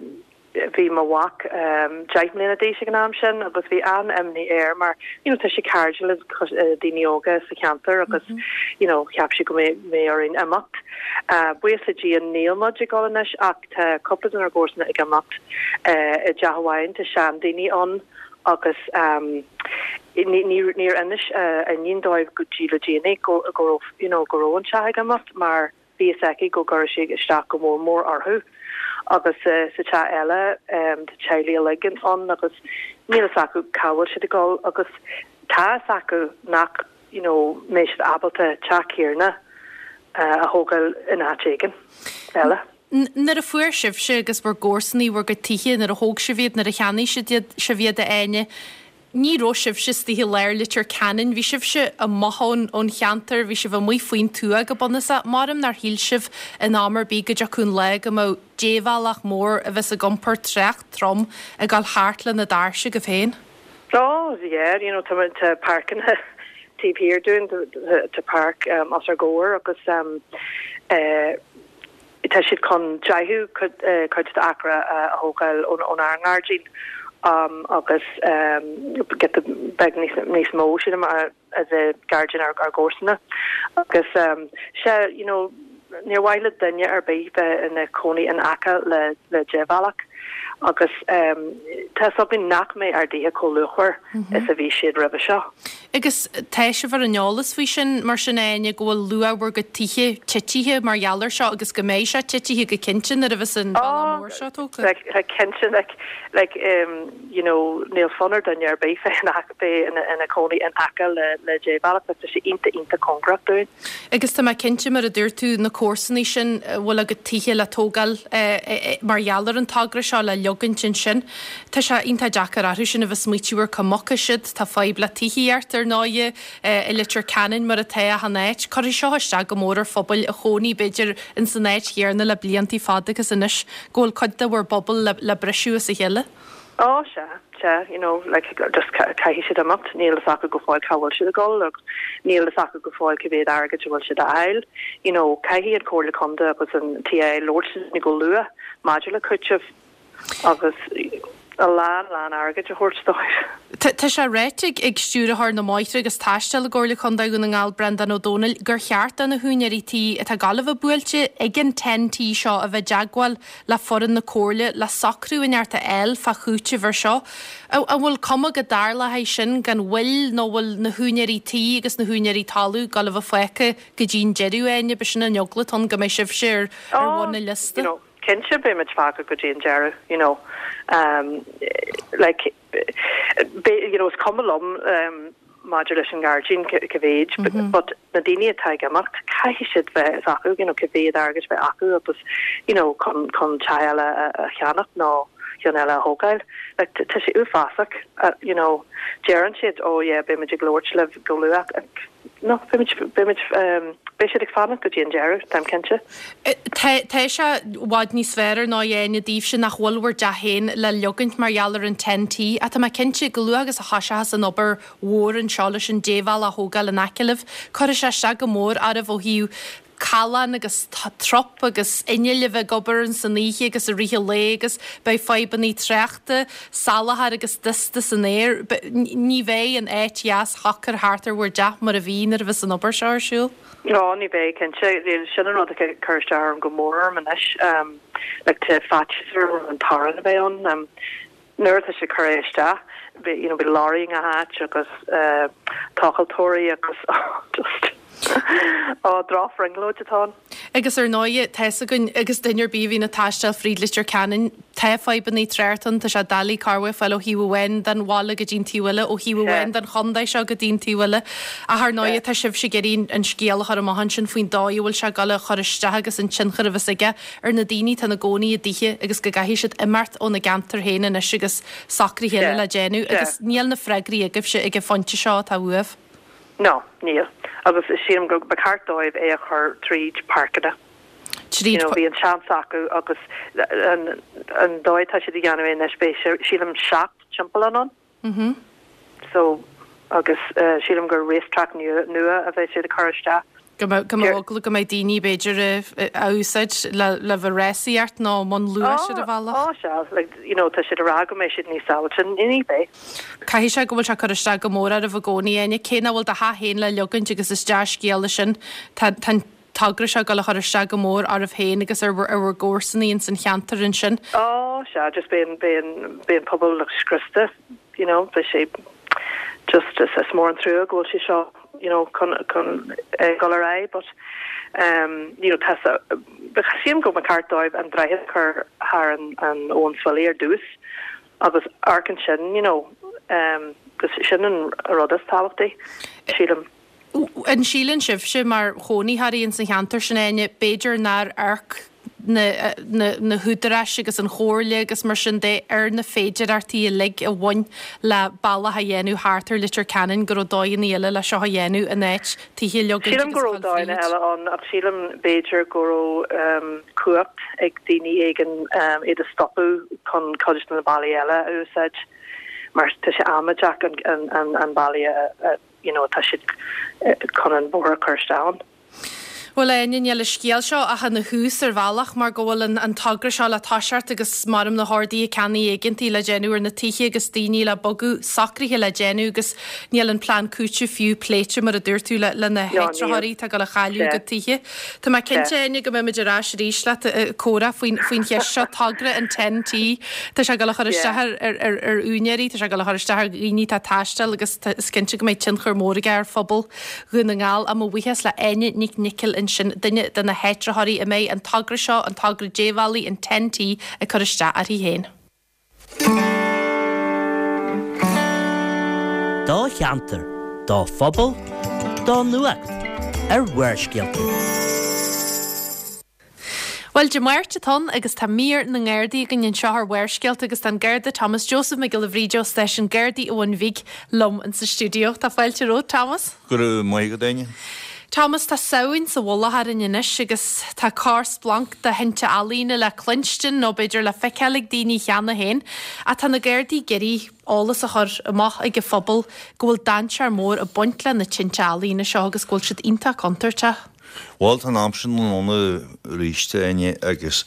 bhí mo mhac um, deich mbliana d'aois ag an am sin agus bhí an-imní air mar you know, tá sé cairdiúil le uh, daoine óga sa cheantar agus mm -hmm. you know, cheap sé go mbeadh orainn imeacht. Uh, Buíochas le Dia níl muid ag dul anois ach tá cúpla den ár gcomharsana ag imeacht uh, i dteach amháin tá seandaoine ann agus um, níor inis uh, a n-iníon dóibh go dtí le déanaí go go you know, go raibh an teach ag imeacht mar bhí fhios aici go gcuirfeadh sé isteach go mór mór orthu. agus uh, sa teach eile um, tá teaghlaigh uilig ann agus níl fhios acu cá bhfuil siad ag dul agus tá fhios acu nach you know, mbeidh siad ábalta teach céanna uh, a thógáil in áit éigin eile. Nuair a fuair sibhse agus bhur gcomharsanaí bhur gcuid tithe nuair a thóg sibh iad nuair a cheannaigh siad sibh iad a Áine, Ní raibh sibhse istigh i lár Leitir Ceanainn, bhí sibhse amuigh ón ón cheantar, bhí sibh amuigh faoin tuath go bunúsach, Maram nár shíl sibh in am ar bith go dtiocfadh an lá go mbeadh débhealach mór a bheas ag iompar trácht trom ag dul thart lena dtairse agaibh féin. Oh yeah, you know tá tá páirceanna taobh thiar dúinn tá páirc um, os ár gcomhair agus um, uh, tá siad chun deichiú cuid acra a thógáil ón ár ngairdín. Um, agus um, get beag níos níos mó sin a de gairdín ar ár gcomharsana agus um, sé you know níor mhaith le duine ar bith bheith ina cónaí in aice le le débhealach agus um, tá fhios againn nach mbeidh ár dtithe chomh luachmhar mm -hmm. is a bhí siad roimhe seo. Agus tá sibh ar an eolas faoi sin mar sin Áine go bhfuil luach bhur gcuid tithe titithe mar gheall air seo agus go mbeidh sé titithe go cinnte nuair a bheas an bealach mór seo tógtha? Like, like cinnte like, like um, you know níl fonn ar duine ar bith bheith ina ina cónaí in aice le le débhealach tá sé iontach iontach cóngarach dúinn. Agus tá mé cinnte mar a dúirt tú na comharsanaí sin bhfuil a gcuid tithe le tógáil eh, eh, mar gheall ar an togra seo le leogaint ansin. Tá sé iontach deacair orthu sin a bheith smaoitiú ar cá mbogfaidh siad, tá fadhb le tithíocht ar ndóighe i Leitir Ceanainn mar atá achan áit. Cuirfidh seo isteach go mór ar phobail a chónaigh b'fhéidir ins an áit chéanna le bliantaí fada agus anois go bhfuil cuid de bhur bpobal le, le briseadh as a chéile. Ó, sea, sea, you know, like, just caithfidh siad imeacht, níl fhios acu go fóill cá bhfuil siad ag dul agus níl fhios acu go fóill cé mhéad airgid a bhfuil siad a fháil. You know, caithfidh an Comhairle Contae agus an TIA labhairt linn go luath maidir le cúiteamh agus a lán, lán airgid a thabhairt dóibh. Tá sé ráite ag Stiúrthóir na mBóithre agus Taistil i gComhairle Contae Dhún na nGall, Breandán Ó Domhnaill, gur cheart do na húinéirí tí atá ag gabháil a bheith buailte ag an Ten-T seo a bheith i dteagmháil le foireann na Comhairle le socrú inteacht a fháil fá chúiteamh ar seo. An bhfuil cuma go dtarlóidh sin gan mhoill nó bhfuil na húinéirí tí agus na húinéirí talún ag gabháil a bheith fágtha go dtí an deireadh, Áine? B'shin an eagla atá ann go mbeidh sibhse ar bhun an liosta. Cinnte beimid fágtha go dtí an deireadh, you know. Um, like, be, you know, is cuma liom um, maidir leis an ngairdín cá mhéid, mm -hmm. but na daoine atá ag imeacht caithfidh siad bheith acu, you know, cá mhéad airgid bheith acu agus you know, chun chun teach eile a, a cheannach nó ceann eile a thógáil. Like, tá sé uafásach, uh, you know, deireann siad ó oh, yeah, beimid ag labhairt libh go luath No, beimid beimid um, beidh siad ag fanacht go dtí an deireadh, táim cinnte. Tá sé i bhfad níos fearr ná Áine daoibhse nach bhfuil bhur dteach féin le leogaint mar gheall ar an Ten-T ach tá mé cinnte go luath agus a thoiseochas an obair mhór anseo leis an débhealach a thógáil in aice libh, cuirfidh sé isteach go mór oraibh ó thaobh callán agus trup agus innill a bheith ag obair ins an oíche agus i rith an lae agus beidh fadhbanna tráchta, salachar agus dusta san aer. Ní bheidh an áit dheas shocair thart ar bhur dteach mar a bhí nuair a bheas an obair seo ar siúl. No, ní bheidh cinnte. Sin an rud a cur isteach orm go mór orm anois. Um, like tá faitíos orm an torann a bheidh ann. Um, nuair atá sé curtha isteach, you know, beidh lorry i ngach áit agus uh, tochaltóirí agus oh, just Ó drochbhrionglóid atá ann. Agus ar ndóigh, tá's againn agus duine ar bith a bhíonn ag taisteal fríd Leitir Ceanainn, tá fadhbanna tráchta ann, tá sé doiligh carr a fháil ó thaobh amháin den bhaile go dtí an taobh eile, ó thaobh amháin den chontae seo go dtí an taobh eile. Ach ar ndóigh, tá sibhse ag iarraidh an scéal a chur amach ansin faoin dóigh a bhfuil sé ag dul a chur isteach agus an tionchar a bheas aige ar na daoine atá ina gcónaí i dtithe agus go gcaithfidh siad imeacht óna gceantar féin anois agus socruithe eile le déanamh agus níl na freagraí agaibhse ag an phointe seo atá uaibh. No, níl. Agus sílim go ba cheart dóibh é a chur tríd páirceanna. Tríd. You know, bhí an seans acu agus an an dóigh tá siad ag déanamh é anois beidh sílim seacht timpeallán ann. Mhm. So agus uh, sílim gur racetrack nua nua a bheidh siad ag cur isteach. Go mbeidh go mbeidh eagla go mbeidh daoine b'fhéidir a úsáid le le bheith rásaíocht nó i mbun luais ar an bhealach. Ó sea, like, you know, tá siad ag rá go mbeidh siad níos sábháilte, ní bheidh. Caithfidh sé go bhfuil sé ag cur isteach go mór oraibh i gcónaí, Áine, cé nach bhfuil do theach féin le leogaint agus is dea-scéal é sin, tá tá an togra seo ag dul a chur isteach go mór oraibh féin agus ar bhur ar bhur gcomharsanaí ins an cheantar ansin. Ó sea, just beidh an beidh an beidh an pobal like scriosta, you know, beidh sé just is is mór an trua go bhfuil sé seo you know chun chun dul ar aghaidh but um you know tá sílim go mba cheart dóibh an droichead a chur thar an an abhainn Swilly ar dtús agus amharc ansin you know um gus sin an rud is tábhachtaí sílim. An síleann sibhse mar chónaitheoirí ins an cheantar sin Áine, b'fhéidir nár amharc na na na húdaráis agus an chomhairle agus mar sin de ar na féidearthachtaí uilig a bhain le bealach a dhéanamh thart ar Leitir Ceanainn go raibh dóigheanna eile le seo a dhéanamh in áit tithe a leogaint Sílim agus go a raibh chur dóigheanna fríd. eile ann ach sílim b'fhéidir go raibh um, cumhacht ag daoine éigin um, iad a stopadh chun cuid de na bealaí eile a úsáid mar tá sé amaideach an, an, an, an bealaí a, a, you know, tá siad eh, chun an bóthar a chur isteach ann. Bhuel Áine, níl an scéal seo ach ina thús ar bhealach mar go bhfuil an, an togra seo le toiseacht agus maram na horduithe ceannaigh éigeantaí le déanamh ar na tithe agus daoine le bogadh socruithe le déanamh agus níl an plean cúitimh fiú pléite mar a dúirt tú le, le na No, níl. háitritheoirí atá ag dul a chailleadh a Sea. gcuid tithe. Tá mé cinnte Sea. Áine go mbeimid ar ais arís leat eh, comhrá faoin faoin cheist seo togra an Ten T. Tá sé ag dul a chur Yeah. isteach ar, ar, ar, ar úinéirí, tá sé ag dul a chur isteach ar dhaoine atá ag taisteal agus tá- is cinnte go mbeidh tionchar mór aige ar phobal Dhún na nGall a mo bhuíochas le Áine Nic Niocaill ansin duine de na háitritheoirí a mbeidh an togra seo an togra débhealaigh an Ten T ag cur isteach uirthi féin. Do cheantar, do phobal, do nuacht ar Bharrscéalta. Bhuel, Dé Máirt atá ann agus tá mír na nGardaí againn anseo ar Bharrscéalta agus tá an Garda Thomas Joseph Mac Giolla Bhríde ó Stáisiún Gardaí an Bhun Bhig liom insa stiúideo. Tá fáilte romhat, Thomas. Go raibh maith agat, Áine. Thomas, tá Samhain sa mhullach orainn anois agus tá corrsplanc de thinte ealaíne le cluinstin nó b'fhéidir le feiceáil ag daoine cheana féin. Ach tá na Gardaí ag iarraidh eolas a chur amach ag an phobal go bhfuil dainséar mór ag baint le na tinte ealaíne seo agus go bhfuil siad iontach contúirteach. Bhuel, tá an am sin ann arís, a Áine, agus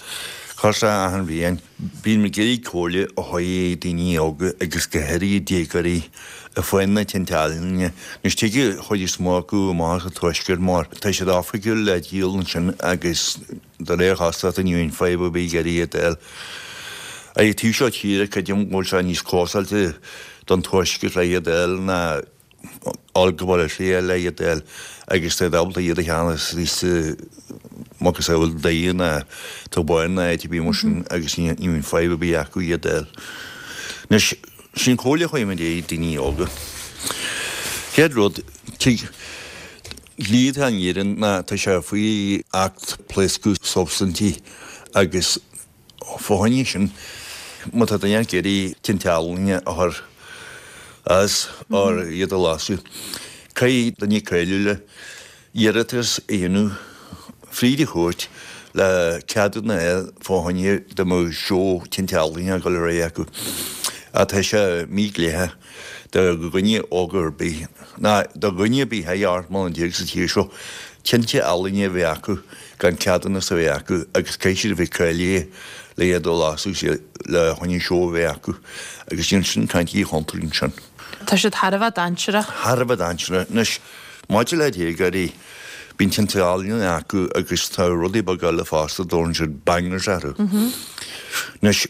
cosúil le achan bhliain, bíonn muid ag iarraidh comhairle a thabhairt do daoine óga agus go háirithe déagóirí fá na tinte ealaíne. Anois tig an chuid is mó acu amach as an tuaisceart mar tá siad oifigiúil le díol ansin agus de réir chosúlachta ní bhíonn fadhb ar bith ag iarraidh iad a fháil. Ar an taobh seo tíre creidim go bhfuil sé níos costáilte don tuaisceart le iad a fháil ná fháil go Baile Átha Cliath le iad a fháil agus tá siad ábalta iad a cheannach sa macasamhail Doire ná Tobáin ná áit ar bith mar sin agus ní bhíonn fadhb ar bith acu iad a fháil. Anois, sin comhairle a chuir muid ag daoine óga. Chéad rud, tig dlí atá in Éirinn ná tá sé faoi Acht Pléascadh Substaintí agus fá choinne sin, má tá duine ag iarraidh tinte ealaíne a chur as or iad a lasadh, caithfidh duine cáiliúil iarratas a dhéanamh fríd an chúirt le ceadúnas a fháil fá choinne dá mbeadh seó tinte ealaíne ag dul ar aghaidh acu. Ach tá sé mídhleathach do dhuine óg ar bith, ná do dhuine ar bith thar ocht mbliana déag sa tír seo, tinte ealaíne a bheith acu gan ceadúnas a bheith acu agus caithfidh siad a bheith cáilithe le iad a lasadh le choinne seó a bheith acu agus níl sin caint i chontúirt ansin. Tá siad thar a bheith dainséarach. Thar a bheith dainséarach. Anois, maidir le déagóirí, bíonn tinte ealaíne acu agus tá rudaí beaga eile fosta, dtabharann siad bangers orthu. Anois,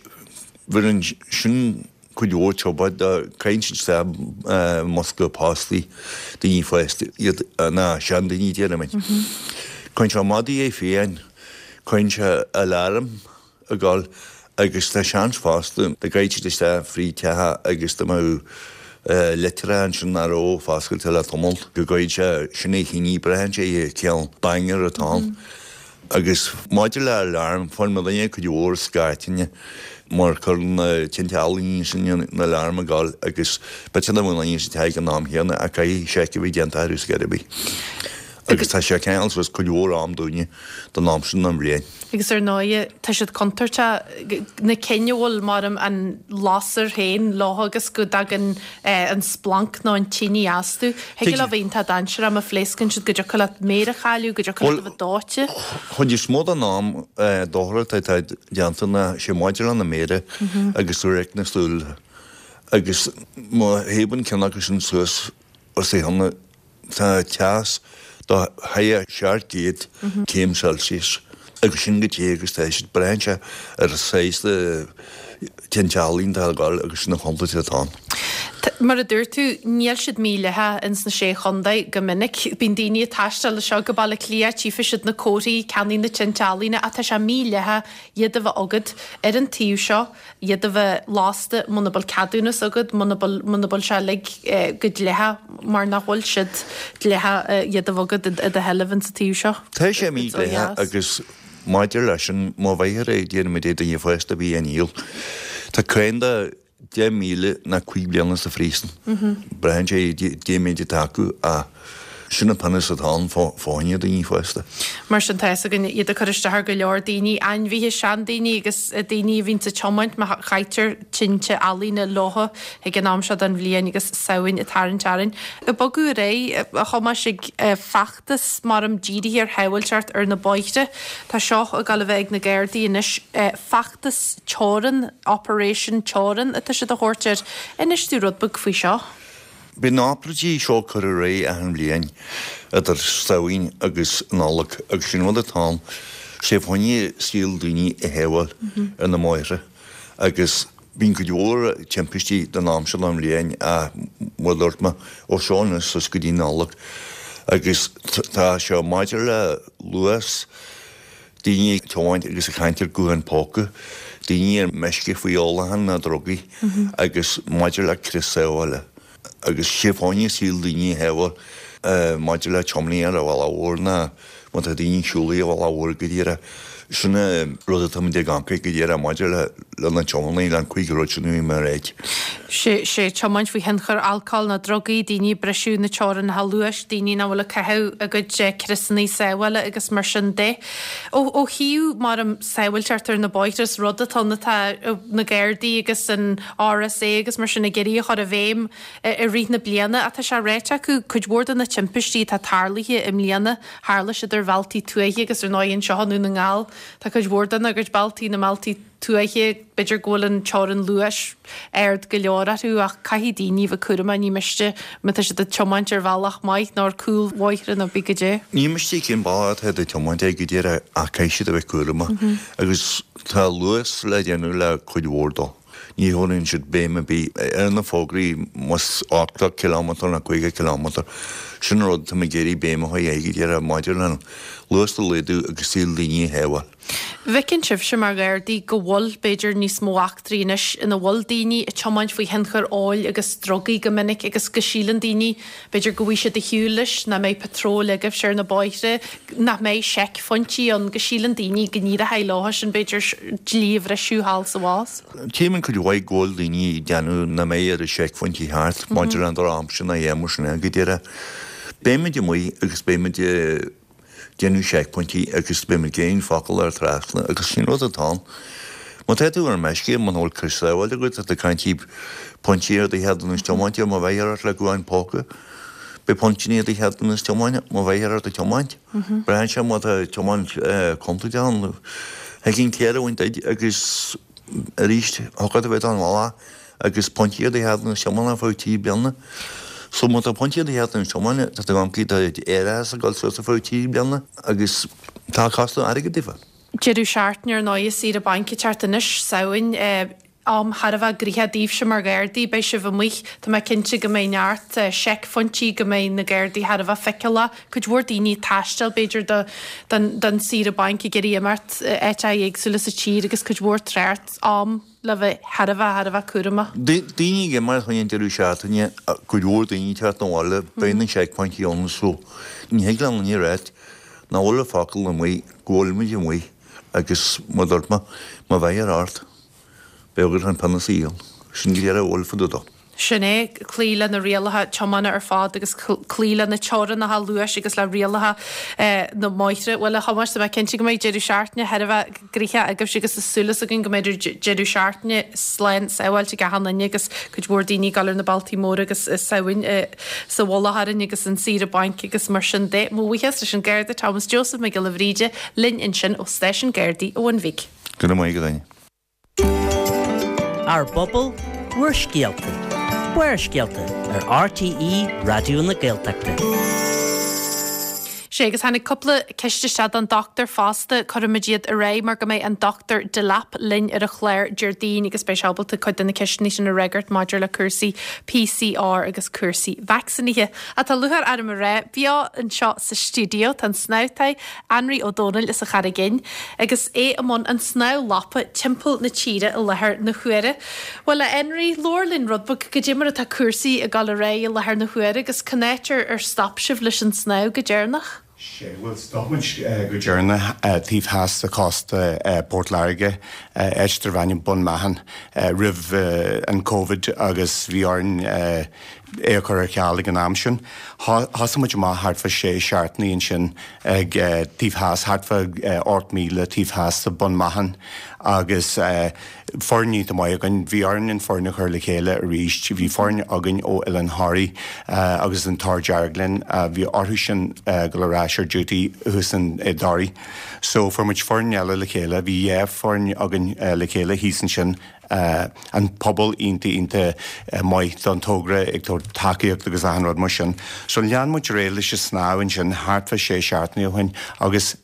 bheireann sin cuid mhór trioblóid do, caitheann siad isteach i mbosca postaí daoine fásta iad, ná seandaoine déarfaimid. Cuireann sé madaí fiáin, cuireann sé alarm ag gol agus tá seans fosta go gcaithfidh siad isteach fríd teach agus dá mbeadh litreacha ansin nach raibh foscailte le tamall go gcuirfidh sé sin é thine, braitheann sé cén banger atá ann. Agus maidir le alarm, fuair mo dhuine cuid mhór scairteanna mar cuireann na tinte ealaíne sin na alarm ag gol agus b'fhéidir nach bhfuil aon duine sa teach ag an am chéanna ach caithfidh seic a bheith déanta orthu scor ar bith. Agus tá sé ag ceangal suas cuid mhór am dúinne don am sin den bhliain. Agus ar ndóighe, tá siad contúirteach, na cinn a bhfuil mar an lasair féin leo agus go dtagann an splanc nó an tine astu. Thig leo bheith iontach dainséarach má phléascann siad go dtiocfadh leat méar a chailleadh, go dtiocfadh leat a bheith dóite. Chuid is mó den am dochar atá déanta ná sé maidir lena méara agus radharc na súl agus má thaobhann ceann acu sin suas os a chionn Tá teas do thar seacht gcéad céim Celsius agus sin go te agus tá siad, braitheann sé ar an saghas de tinte ealaíne atá ag dul agus sin an chontúirt atá ann. Mar a dúirt tú, níl siad mídhleathach ins na Sé Chontae go minic. Bíonn daoine ag taisteal anseo go Baile Átha Cliath, tchífidh siad na comharthaí, ceannaigh na tinte ealaíne ach tá sé mídhleathach iad a bheith agat ar an taobh seo. iad a bheith lasta muna bhfuil ceadúnas agat, muna bhfuil, muna bhfuil sé uilig go dleathach mar nach bhfuil siad dleathach iad a bheith agat i do sheilbh insa taobh seo. Tá sé mídhleathach agus maidir leis sin, má bheifear ag déanamh é duine fásta a bhí á ndíol, tá cáin de deich míle ná cúig bliana sa phríosún. Braitheann sé cén méid atá acu ach sin an pionós atá ann fá choinne daoine fásta. Mar sin tá fhios againn iad ag cur isteach ar go leor daoine, ainmhithe, seandaoine agus daoine a bhíonns ag tiomáint má chaitear tinte ealaíne leo ag an am seo den bhliain agus Samhain ag tarraingt orainn. Ag bogadh ar aghaidh, a Thomáis, ag feachtas maram dírithe ar shábháilteacht ar na bóithre. Tá seo ag dul a bheith ag na Gardaí anois, feachtas teorann, Operation Teorann atá siad a thabhairt air. Inis dúinn rud beag faoi seo. Bíonn na hobráidí seo curtha ar aghaidh achan bhliain idir Samhain agus Nollaig agus sin rud atá ann, sé fá choinne saol daoine a shábháil ar na mbóithre agus bíonn cuid mhór timpistí don am seo den bhliain ach mar a dúirt mé, ó seo anuas suas go dtí Nollaig agus tá sé maidir le luas, daoine ag tiomáint agus ag caint ar ghuthán póca, daoine ar meisce faoi ólachán ná drugaí agus maidir le crios sábhála agus sé fá choinne saol daoine a shábháil maidir le tiománaí ar an bhealach mhór ná Má tá daoine ag siúl ar an bhealach mhór go díreach, sin an rud atá muid ag amharc go díreach maidir le le na tiománaí, le an cúig rud sin a bhí mé a ráit. Sé sé tiomáint faoi thionchar alcóil nó drugaí, daoine ag briseadh na teorainneacha luais, daoine nach bhfuil ag caitheamh a gcuid criosanna sábhála agus mar sin de. Ó ó thaobh mar an sábháilteacht ar na bóithre is rud atá ann atá na Gardaí agus an RSA agus mar sin ag iarraidh a chur i bhfeidhm i rith na bliana ach tá sé ráite acu cuid mhór de na timpistí atá tarlaithe i mbliana, tharla siad ar bhealtaí tuaithe agus ar ndóigh anseo i nDún na nGall tá cuid mhór dena gcuid bealtaí na mbealtaí tuaithe, b'fhéidir go bhfuil an teorainn luais ard go leor orthu ach caithfidh daoine bheith cúramach, ní miste má tá siad ag tiomáint ar bhealach maith nó ar cúlbhóithre nó bí goidé. Ní miste cén bealach atá ag tiomáint air go díreach ach caithfidh siad a bheith cúramach agus tá luas le déanamh le cuid mhór dó. Ní thabharann siad béim ar bith ar na fógraí más ochtó cileámatar nó caoga cileámatar. Sin an rud atá mé ag iarraidh béim a chur air go díreach maidir le luas a laghdú agus saol daoine a shábháil. Bhfeiceann sibhse mar Ghardaí go bhfuil, b'fhéidir, níos mó eachtraí anois ina bhfuil daoine ag tiomáint faoi thionchar óil agus drugaí go minic agus go síleann daoine, b'fhéidir, go bhfaighidh siad a shiúl leis, nach mbeidh patróil agaibhse ar na bóithre, nach mbeidh seicphointí ann, go síleann daoine go n-éireoidh leo sin, b'fhéidir, dlí a bhriseadh thall 's abhus. Tchím cuid mhaith go bhfuil daoine ag déanamh nach mbeidh ar seicphointí thart maidir le an drochaimsir ná a dhath mar sin go díreach. Beimid amuigh agus beimid ag déanamh seicphointí agus beimid ag aon focal ar trasna agus sin rud atá ann. Má tá tú ar meisce, muna bhfuil crios sábháilte agat, tá tú ag caint pointí ar do cheadúnas tiomáinte má bheifear ort le guthán póca. Beidh pointí ar do cheadúnas tiomáinte má bheifear ort ag tiomáint. Braitheann sé má tá tiomáint contúirteach ann. Thig an céir a bhaint duit agus arís thiocfadh a bheith don bhealach agus pointí ar do cheadúnas tiomána ar feadh trí bliana. So má tá pointí ar do cheadúnas tiomána, tá tú ag do árachas ag dul suas ar feadh trí bliana agus tá costas airgid daofa. Deireadh seachtaine ar ndóigh saoire bainc ag teacht anois, Samhain, am thar a bheith gnoitheach daoibhse mar Ghardaí, beidh sibh amuigh, tá mé cinnte go mbeidh neart seicphointí, go mbeidh na Gardaí thar a bheith feiceálach, cuid mhór daoine ag taisteal b'fhéidir do don don saoire bainc ag iarraidh imeacht áiteacha éagsúla sa tír agus cuid mhór trácht, am le bheith thar a bheith thar a bheith cúramach. Daoine ag imeacht chun an deireadh seachtaine, cuid mhór daoine ag teacht 'na bhaile, beidh na seicphointí ann so ní thig le aon duine a ráit nach bhfuil an focal amuigh, go bhfuilimid amuigh agus mar a dúirt mé, má bheifear ort, beidh agat an pionós a íoc. Sin go díreach a bhfuil fá dtaobh dó. Sin é, cloí le na rialacha tiomána ar fad agus cloí le na teorainneacha luais agus le rialacha na mbóithre. Bhuel, a Thomáis, tá mé cinnte go mbeidh deireadh seachtaine thar a bheith gnoitheach agaibhse agus tá súil againn go mbeidh deireadh seachtaine slán sábháilte ag achan duine agus cuid mhór daoine ag dul ar na bealtaí móra agus Samhain sa mhullach orainn agus an saoire bainc agus mar sin de. Mo bhuíochas leis an Garda Thomas Joseph Mac Giolla Bhríde linn ansin ó Stáisiún Gardaí an Bhun Bhig. Go raibh maith agat, Áine. Ár bpobal, bhur scéalta. Barrscéalta ar RTÉ Raidió na Gaeltachta. Sé agus tháinig cúpla ceist isteach don dochtúir fosta cuirfimid iad ar aghaidh mar go mbeidh an Dr Delap linn ar an chlár Déardaoin agus beidh sé ábalta cuid de na ceisteanna sin a fhreagairt maidir le cúrsaí PCR agus cúrsaí vacsaínithe. Tá lúcháir orm a rá beo anseo sa stiúideo tá an snámhtaí Anraí Ó Dónaill as an Charraig Fhinn agus é i mbun an snámh lapa timpeall na tíre i láthair na huaire. Bhuel a Anraí, labhair linn rud beag goidé mar atá cúrsaí ag dul ar aghaidh i láthair na huaire agus cá háit ar ar stop sibh leis an snámh go deireanach. Sé bhuel stop muid go deireanach taobh theas de chósta Port Láirge áit darb ainm Bun Meathan roimh an Covid agus bhí orainn é a chur ar ceal ag an am sin. Thosaigh muid amach thart fá sé seachtainí ansin ag taobh theas, thart fá ocht míle taobh theas de Bun Meathan agus foireann iontach maith againn. Bhí orainn an foireann a chur le chéile arís. Bhí foireann againn ó Oileán Thoraí agus an Tor Dearg linn. Bhí orthu sin dul ar ais ar duty thuas in i dToraigh. So fuair muid foireann eile le chéile. Bhí dhá foireann againn le chéile thíos ansin. An pobal iontach iontach maith don togra ag tabhairt tacaíocht agus achan rud mar sin. So lean muid ar aghaidh leis an snámh ansin thart fá sé seachtainí ó shin agus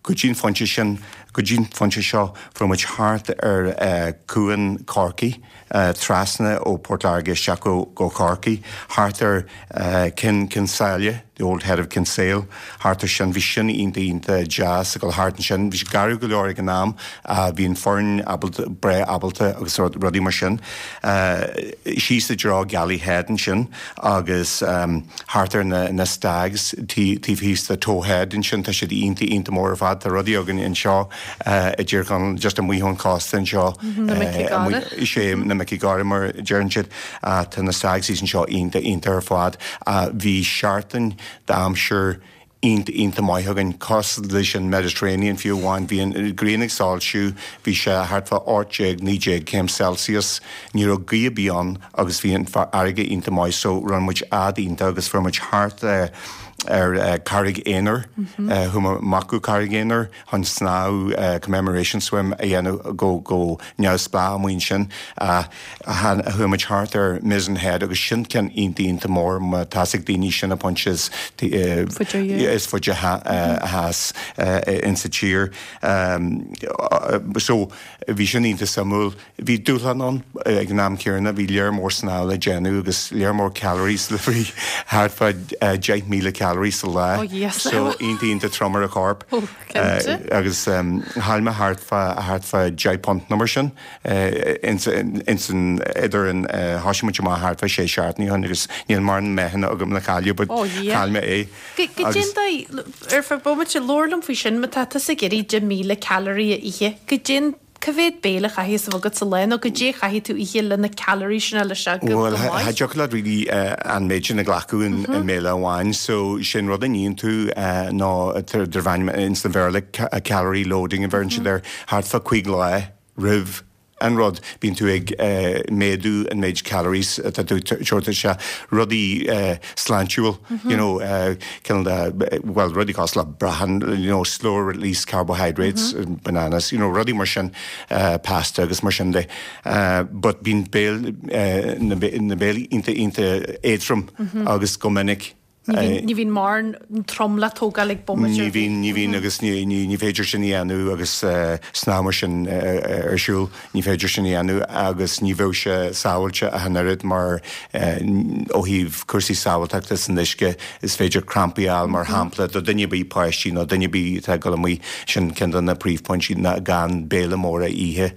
go dtí an phointe sin, go dtí an phointe seo, fuair muid thart ar Cuan Chorcaí, trasna ó Port Láirge isteach go go Corcaigh, thart ar Cionn Cionn tSáile, the old head of Kinsale, thart ar sin, bhí sin iontach iontach deas ag dul thart ansin, bhí sé garbh go leor ag an am, bhí an foireann ábalta, breá ábalta agus rudaí mar sin. Síos i dtreo Galley Head ansin agus thart ar na na Stags taobh thíos de Toe Head ansin, tá siad iontach iontach mór ar fad, tá rudaí againn anseo i dTír Chonaill just amuigh ón chósta anseo, Na mic gáire. Is é na mic gáire mar a deireann siad. Tá na Stags thíos anseo iontach iontach ar fad. Bhí seachtain d'aimsir iontach iontach maith againn, cosúil leis an Mediterranean fiú amháin. Bhí an ghrian ag soilsiú, bhí sé thart fá ocht déag, naoi déag céim Celsius, ní raibh gaoth ar bith ann agus bhí an fharraige iontach maith so rinne muid fhad iontach agus fuair muid thart ar Carraig Aonair, chuaigh muid amach go Carraig Aonair chun snámh commemoration swim a dhéanamh go go neamhspleách amuigh ansin. Chuaigh muid thart ar Mizen Head agus sin ceann iontach iontach mór má tá a fhios ag daoine sin an pointe is is faide theas insa tír. So bhí sin iontach suimiúil. Bhí dúshlán ann ag an am céanna, bhí léar mór snámha le déanamh agus léar mór calories le bhí thart fá deich míle calories sa lá. So iontach iontach trom ar an chorp. Agus chaill mé thart fá thart fá deich punt nó mar sin ins an idir an thosaigh muid amach thart fá sé seachtainí ó shin agus níl mórán meáchan agam le cailleadh but chaill mé é. Goidé an dóigh, ar feadh bomaite, labhair liom faoi sin, má tá tusa ag iarraidh deich míle calorie a ithe, goidé an cá mhéad béile a chaithfidh a bheith agat sa lá nó goidé a chaithfidh tú ithe le na calories sin a fháil isteach go Bhuel, maith? cha dtiocfadh leat really an méid sin a ghlacadh in mbéile amháin so sin rud a níonn tú ná darb ainm ins an Bhéarla calorie loading a bheireann siad air thart fá cúig lá roimh an rud, bíonn tú ag méadú an méid calories atá tú tabhairt isteach, rudaí sláintiúil, you know, cineál de, bhuel, rudaí cosúil le brachán, you know, slow release carbohydrates, bananas, you know, rudaí mar sin, pasta agus mar sin de. But bíonn béil, na béilí iontach, iontach éadrom agus go minic. Ní bhíonn mórán trom le tógáil ag bomaite Ní ar bith. bhíonn, ní bhíonn agus ní, ní, ní féidir sin a dhéanamh agus snámh mar sin ar siúl, ní féidir sin a dhéanamh agus ní bheadh sé sábháilte ach an oiread mar ó thaobh cúrsaí sábháilteachta san uisce is féidir crampaí a fháil mar shampla do duine ar bith, páistí nó duine ar bith atá ag dul amuigh, sin ceann de na príomhphointí ná gan béile mór a ithe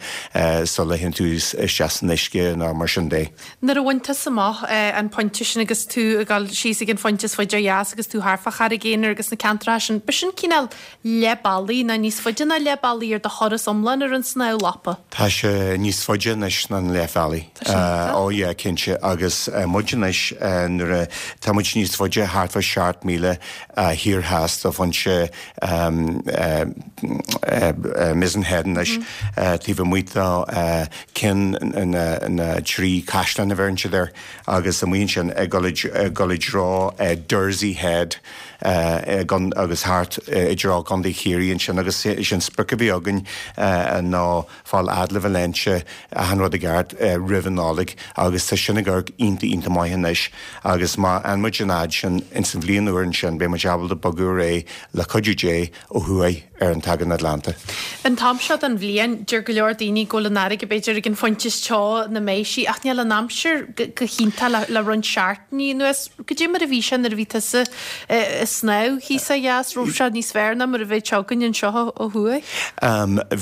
sula théann tú isteach san uisce nó mar sin de. Nuair a bhain tusa amach an pointe sin agus tú ag dul síos ag an phointe is faide ó dheas agus tú thart fá Charraig Aonair agus na ceantracha sin, b'shin cineál leath bealaigh nó níos faide ná leath bealaigh ar do thuras iomlán ar an snámh lapa? Tá sé níos faide anois ná an leath bealaigh. Tá sé iontach. Ó yeah, cinnte. Agus muid anois nuair a, tá muid níos faide, thart fá seacht míle thiar theas de phointe Mizen Head anois, taobh amuigh de ceann na trí caisleán a bheireann siad air agus amuigh ansin ag dul i dtreo Dursey Head agus thart i dtreo Contae Chiarraí ansin agus is an sprioc a bhí againn ná fáil fhad le Valentia achan rud i gceart roimh an Nollaig agus tá sin ag amharc iontach iontach maith anois agus má fhaigheann muid an fhad sin ins an bhliain úr ansin beidh muid ábalta bogadh ar aghaidh le cuidiú Dé ó thuaidh ar an tAigéan Atlantach. An t-am seo den bhliain, deir go leor daoine go bhfuil an fharraige b'fhéidir ag an phointe is teo ina mbeidh sí, ach níl an aimsir go hiontach le roinnt seachtainí anuas. Goidé mar a bhí sé nuair a bhí tusa ag snámh thíos ó dheas, raibh sé níos fearr ná mar a bheadh sé againn anseo ó thuaidh?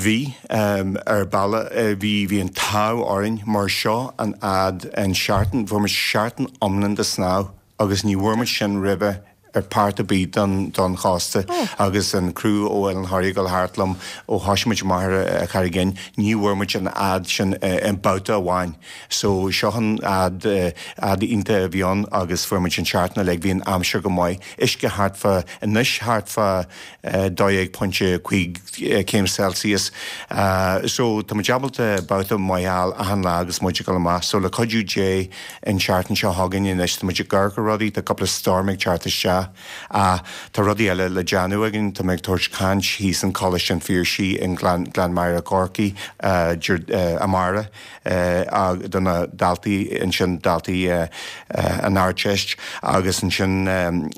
Bhí, ar bhealach, bhí, bhí an t-ádh orainn mar seo an fhad, an seachtain, fuair muid seachtain iomlán de snámh agus ní bhfuair muid sin roimhe ar pháirt ar bith don don chósta agus an criú ó Oileán Thoraí ag dul thart liom ó thosaigh muid amach ar Charraig Fhinn ní bhfuair muid an fhad sin i mbabhta amháin so seo an fhad fhad iontach a bhí ann agus fuair muid an seachtain uilig bhí an aimsir go maith uisce thart fá anois thart fá dó dhéag pointe cúig céim Celsius so tá muid ábalta babhta maith a fháil achan lá agus muid ag dul amach so le cuidiú Dé an tseachtain seo chugainn anois tá muid ag amharc ar rudaí tá cúpla storm ag teacht isteach Ach tá rudaí eile le déanamh againn. Tá mé ag tabhairt caint thíos in Coláiste an Phiarsaigh i nGleann Maghair i gCorcaigh amárach do na daltaí ansin, daltaí an Ardteist agus ansin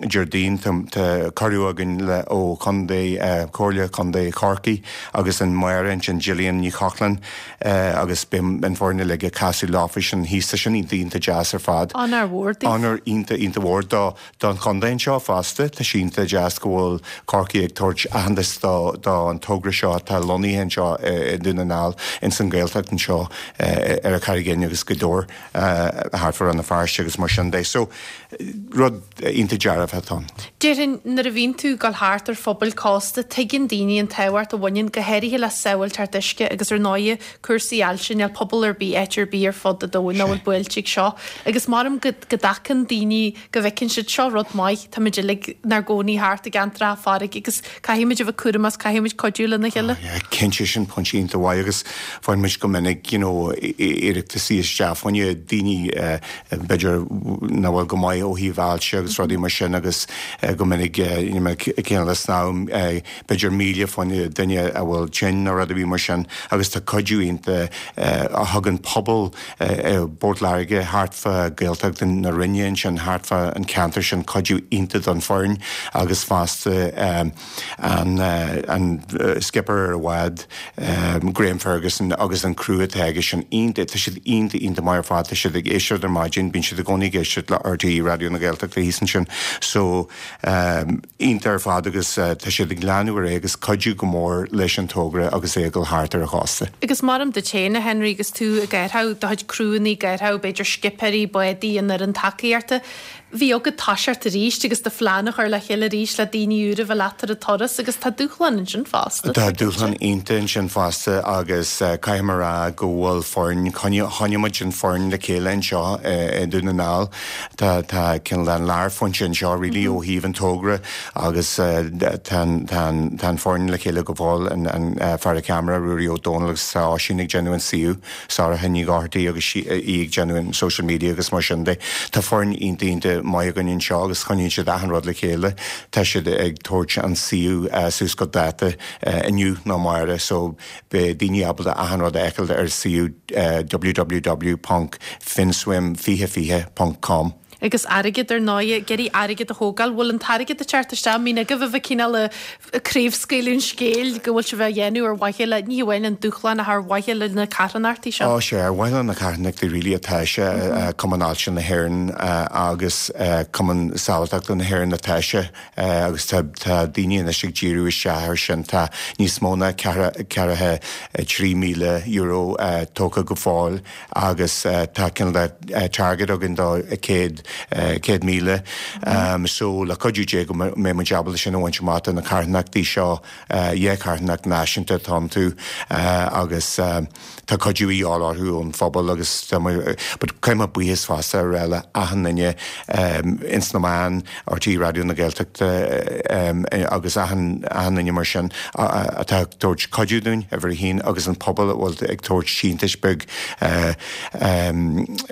Déardaoin tá cuireadh againn le ó Chontae, Comhairle Contae Chorcaí agus an Méara ansin Gillian Ní Chochláin agus beidh an foireann uilig ag casadh leofa sin thíos. Tá sin iontach iontach deas ar fad. Onóir mhór daoibh. Onóir iontach iontach mhór do don chontae anseo fosta, tá sé iontach deas go bhfuil Corcaigh ag tabhairt aitheantas do do an togra seo atá lonnaithe anseo i nDún na nGall, ins an Ghaeltacht anseo ar an Charraig Fhinn agus go leor thart fá Rann na Feirste agus mar sin de. So, rud iontach dearfach atá ann. Déarfainn nuair a bhíonn tú ag dul thart ar phobail cósta, tuigeann daoine an tábhacht a bhaineann go háirithe le sábháilteacht uisce agus ar ndóighe cúrsaí ailse, níl pobal ar bith, áit ar bith ar fud an domhain nach bhfuil buailte ag seo. Agus maram go go dtacann daoine go bhfeiceann siad seo rud maith, táimid uilig inár gcónaí thart i gceantracha farraige agus caithfimid a bheith cúramach, caithfimid cuidiú lena chéile. Yeah, cinnte sin pointe iontach mhaith agus faigheann muid go minic you know iarrataisí isteach fá choinne daoine b'fhéidir nach bhfuil go maith ó thaobh ailse agus rudaí mar sin agus go minic you know cineál snámh b'fhéidir míle fá choinne duine a bhfuil tinn nó rud ar bith mar sin agus tá cuidiú iontach a thugann pobal i bPort Láirge thart fá Gaeltacht na Rinne ansin thart fá an ceantar sin cuidiú iontach don foireann agus fosta an an skipper ar an bhád Graham Ferguson agus an criú atá aige sin iontach tá siad iontach iontach maith ar fad tá siad ag éisteacht ar maidin bíonn siad i gcónaí ag éisteacht le RTÉ Raidió na Gaeltachta thíos ansin so iontach ar fad agus tá siad ag leanúint ar aghaidh agus cuidiú go mór leis an togra agus é ag dul thart ar an chósta. Agus maram duit féin, a Henry, agus tú ag árthach do chuid criúnna ag árthach b'fhéidir scipéirí, bádaí, an fhoireann tacaíochta, bhí agat toiseacht arís agus do phlean a chur le chéile arís le daoine úra a bheith leat ar an turas agus tá dúshlán ansin fosta. Tá dúshlán iontach ansin fosta agus caithfidh mé a rá go bhfuil foireann, choinnigh muid an foireann le chéile anseo i nDún na nGall. Tá tá cineál an lárphointe anseo really ó thaobh an togra agus tá an tá an tá an foireann le chéile go fóill an an fear an ceamara Ruairí Ó Dónaill agus tá Oisín ag déanamh an suíomh, Sorcha Ní Dhochartaigh agus í ag déanamh an social media agus mar sin de. Tá foireann iontach iontach maith againn anseo agus choinníonn siad achan rud le chéile. Tá siad ag tabhairt an suíomh suas go dáta inniu nó amárach so beidh daoine ábalta achan rud a fheiceáil ar suíomh www ponc finnswim fiche fiche ponc com. Agus airgead ar ndóigh, ag iarraidh airgead a thógáil. Bhfuil an t-airgead ag teacht isteach? An mbíonn agaibh a bheith cineál ag craobhscaoileadh an scéil go bhfuil sibh á dhéanamh ar mhaithe le, ní hamháin an dúshlán ach ar mhaithe le na carthanachtaí seo? Ó sea, ar mhaithe le na carthanachtaí really atá sé, Cumann Ailse na hÉireann agus Cumann Sábháilteachta na hÉireann atá sé agus tá tá daoine anois ag díriú isteach air sin. Tá níos mó ná ceathracha trí míle euro tógtha go fóill agus tá cineál de target againn do céad céad míle. So le cuidiú Dé go mbeidh muid ábalta sin a bhaint amach do na carthanachtaí seo, dhá charthanacht náisiúnta atá iontu agus tá cuidiú a dhíobháil orthu ón phobal agus tá but caithfidh mé buíochas fosta a rá le achan duine ins na meáin, RTÉ Raidió na Gaeltachta agus achan achan duine mar sin atá ag tabhairt cuidiú dúinn, uimhir a haon, agus an pobal a bhfuil ag tabhairt síntiúis beag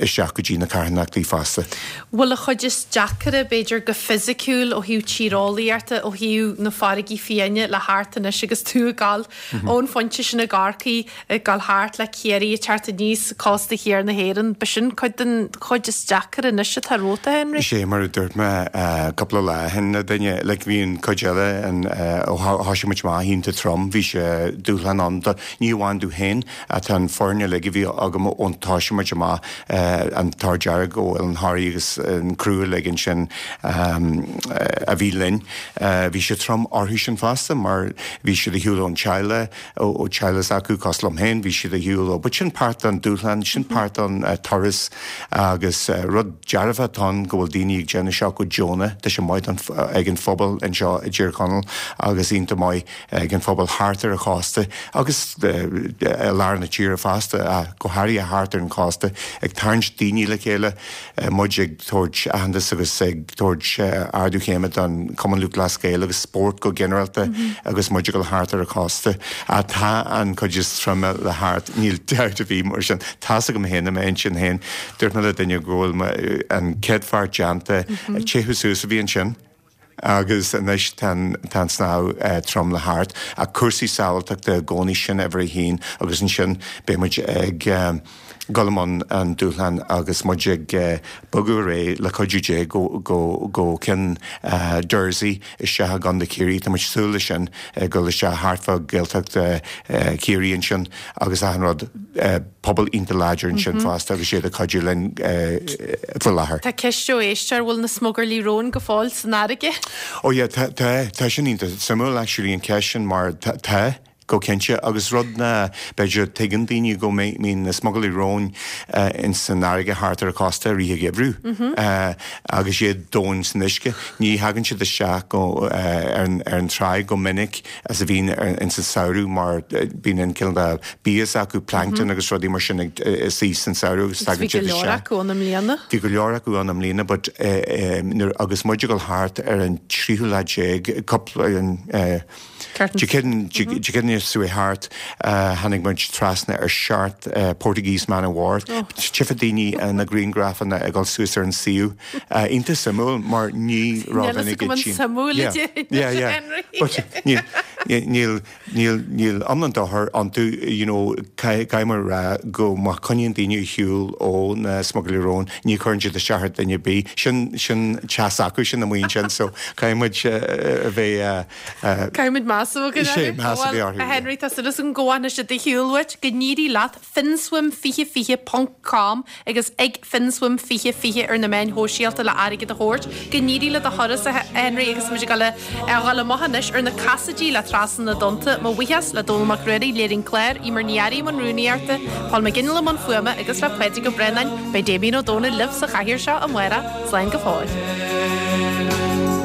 isteach go dtí na carthanachtaí fosta. Bhfuil an chuid is deacaire, b'fhéidir, go fisiciúil ó thaobh tíreolaíochta, ó thaobh na farraigí fiáine le thart anois agus tú ag gabháil ón phointe sin i gCorcaigh, ag gabháil thart le Ciarraí, ag teacht aníos cósta thiar na hÉireann, b'shin cuid den chuid is deacaire anois atá romhat, a Henry? Is é mar a dúirt mé cúpla lá ó shin le duine, like bhí an cuid eile, an, ó thoisigh muid amach iontach trom, bhí sé dúshlán ann do, ní amháin domh féin, Tá an foireann uilig a bhí agam ón toisigh muid amach, an tAdh Dearg ó Oileán Thoraí agus an criú uilig ansin a bhí linn. Bhí sé trom orthu sin fosta mar bhí siad ar shiúl ón teaghlach, ó teaghlach s'acu, cosúil liom féin, bhí siad ar shiúl ó. But sin páirt den dúshlán, sin páirt den turas agus rud dearfach atá ann go bhfuil daoine ag déanamh seo go deonach, tá sé maith ag an phobal anseo i dTír Chonaill agus iontach maith ag an phobal thart ar an chósta agus i lár na tíre fosta, ach go háirithe thart ar an chósta, ag tarraingt daoine le chéile, muid ag tabhairt aitheantas agus ag tabhairt ardú céime don Chumann Lúthchleas Gael agus spórt go ginearálta agus muid ag dul thart ar an chósta. Ach tá an chuid is troime le thart, níl dabht ar bith mar sin. Tá's agam féin i m'intinn féin, dúirt mé le duine go bhfuil an chéad pháirt déanta, téamh suas a bhí ansin. Agus anois tá an snámh trom le thart. Ach cúrsaí sábháilteachta i gcónaí, sin uimhir a haon agus ansin beidh muid ag dul i mbun an dúshlán agus muid ag bogadh ar aghaidh le cuidiú Dé go go go ceann Dursey isteach i gContae Chiarraí. Tá muid súil leis sin dul isteach thart fá Gaeltacht Chiarraí ansin agus achan rud pobal iontach láidir ansin fosta agus iad ag cuidiú linn faoi láthair. Tá ceist ó éisteoir, bhfuil na smugairlí róin go fóill san fharraige? Oh yeah, tá tá tá sin iontach suimiúil actually an ceist sin mar tá go cinnte agus rud ná b'fhéidir tuigeann daoine go mbíonn na smugairlí róin in san fharraige thart ar an chósta i rith an gheimhridh agus iad domhain san uisce. Ní thagann siad isteach go ar an ar an tráigh go minic as a bhíonn in san samhradh mar bíonn an cineál de bia s'acu plankton agus rudaí mar sin ag suí san samhradh agus tagann siad isteach. Bhí go leor acu ann i mbliana. Bhí go leor acu ann i mbliana but nuair agus muid ag dul thart ar an tríú lá déag cúpla Dé Céadaoine seo thart tháinig muid trasna ar seacht Portuguese Man of War. Tchífidh daoine na grianghrafanna ag dul suas ar an suíomh. Iontach suimiúil mar ní raibh duine ag Yeah, yeah. But níl níl níl iomlán dochar iontu you know caithfidh mé a rá go má choinníonn daoine ar shiúl ó na smugairlí róin ní chuireann siad isteach ar duine ar bith. Sin sin teas acu sin amuigh ansin so caithfidh muid a bheith Caithfidh muid meas a bheith Sé meas a bheith orthu. A Henry tá súil agam go bhfanfaidh siad ar shiúl uait, go n-éirí leat finswim fiche fiche ponc com agus ag finswim fiche fiche ar na meáin shóisialta le airgead a thabhairt. Go n-éirí le do thuras a Henry agus muid ag dul a dhul amach anois ar na casaidí le Trasna na dTonnta. Mo bhuíochas le Dónall Mac Ruairí, léiriú an chláir, Emer Ní Fhearraigh i mbun rúnaíochta, Paul McGinley i mbun fuaime agus le Pádraig Ó Braonáin. Beidh Damien Ó Dónaill libh sa chathaoir seo amárach. Slán go fóill.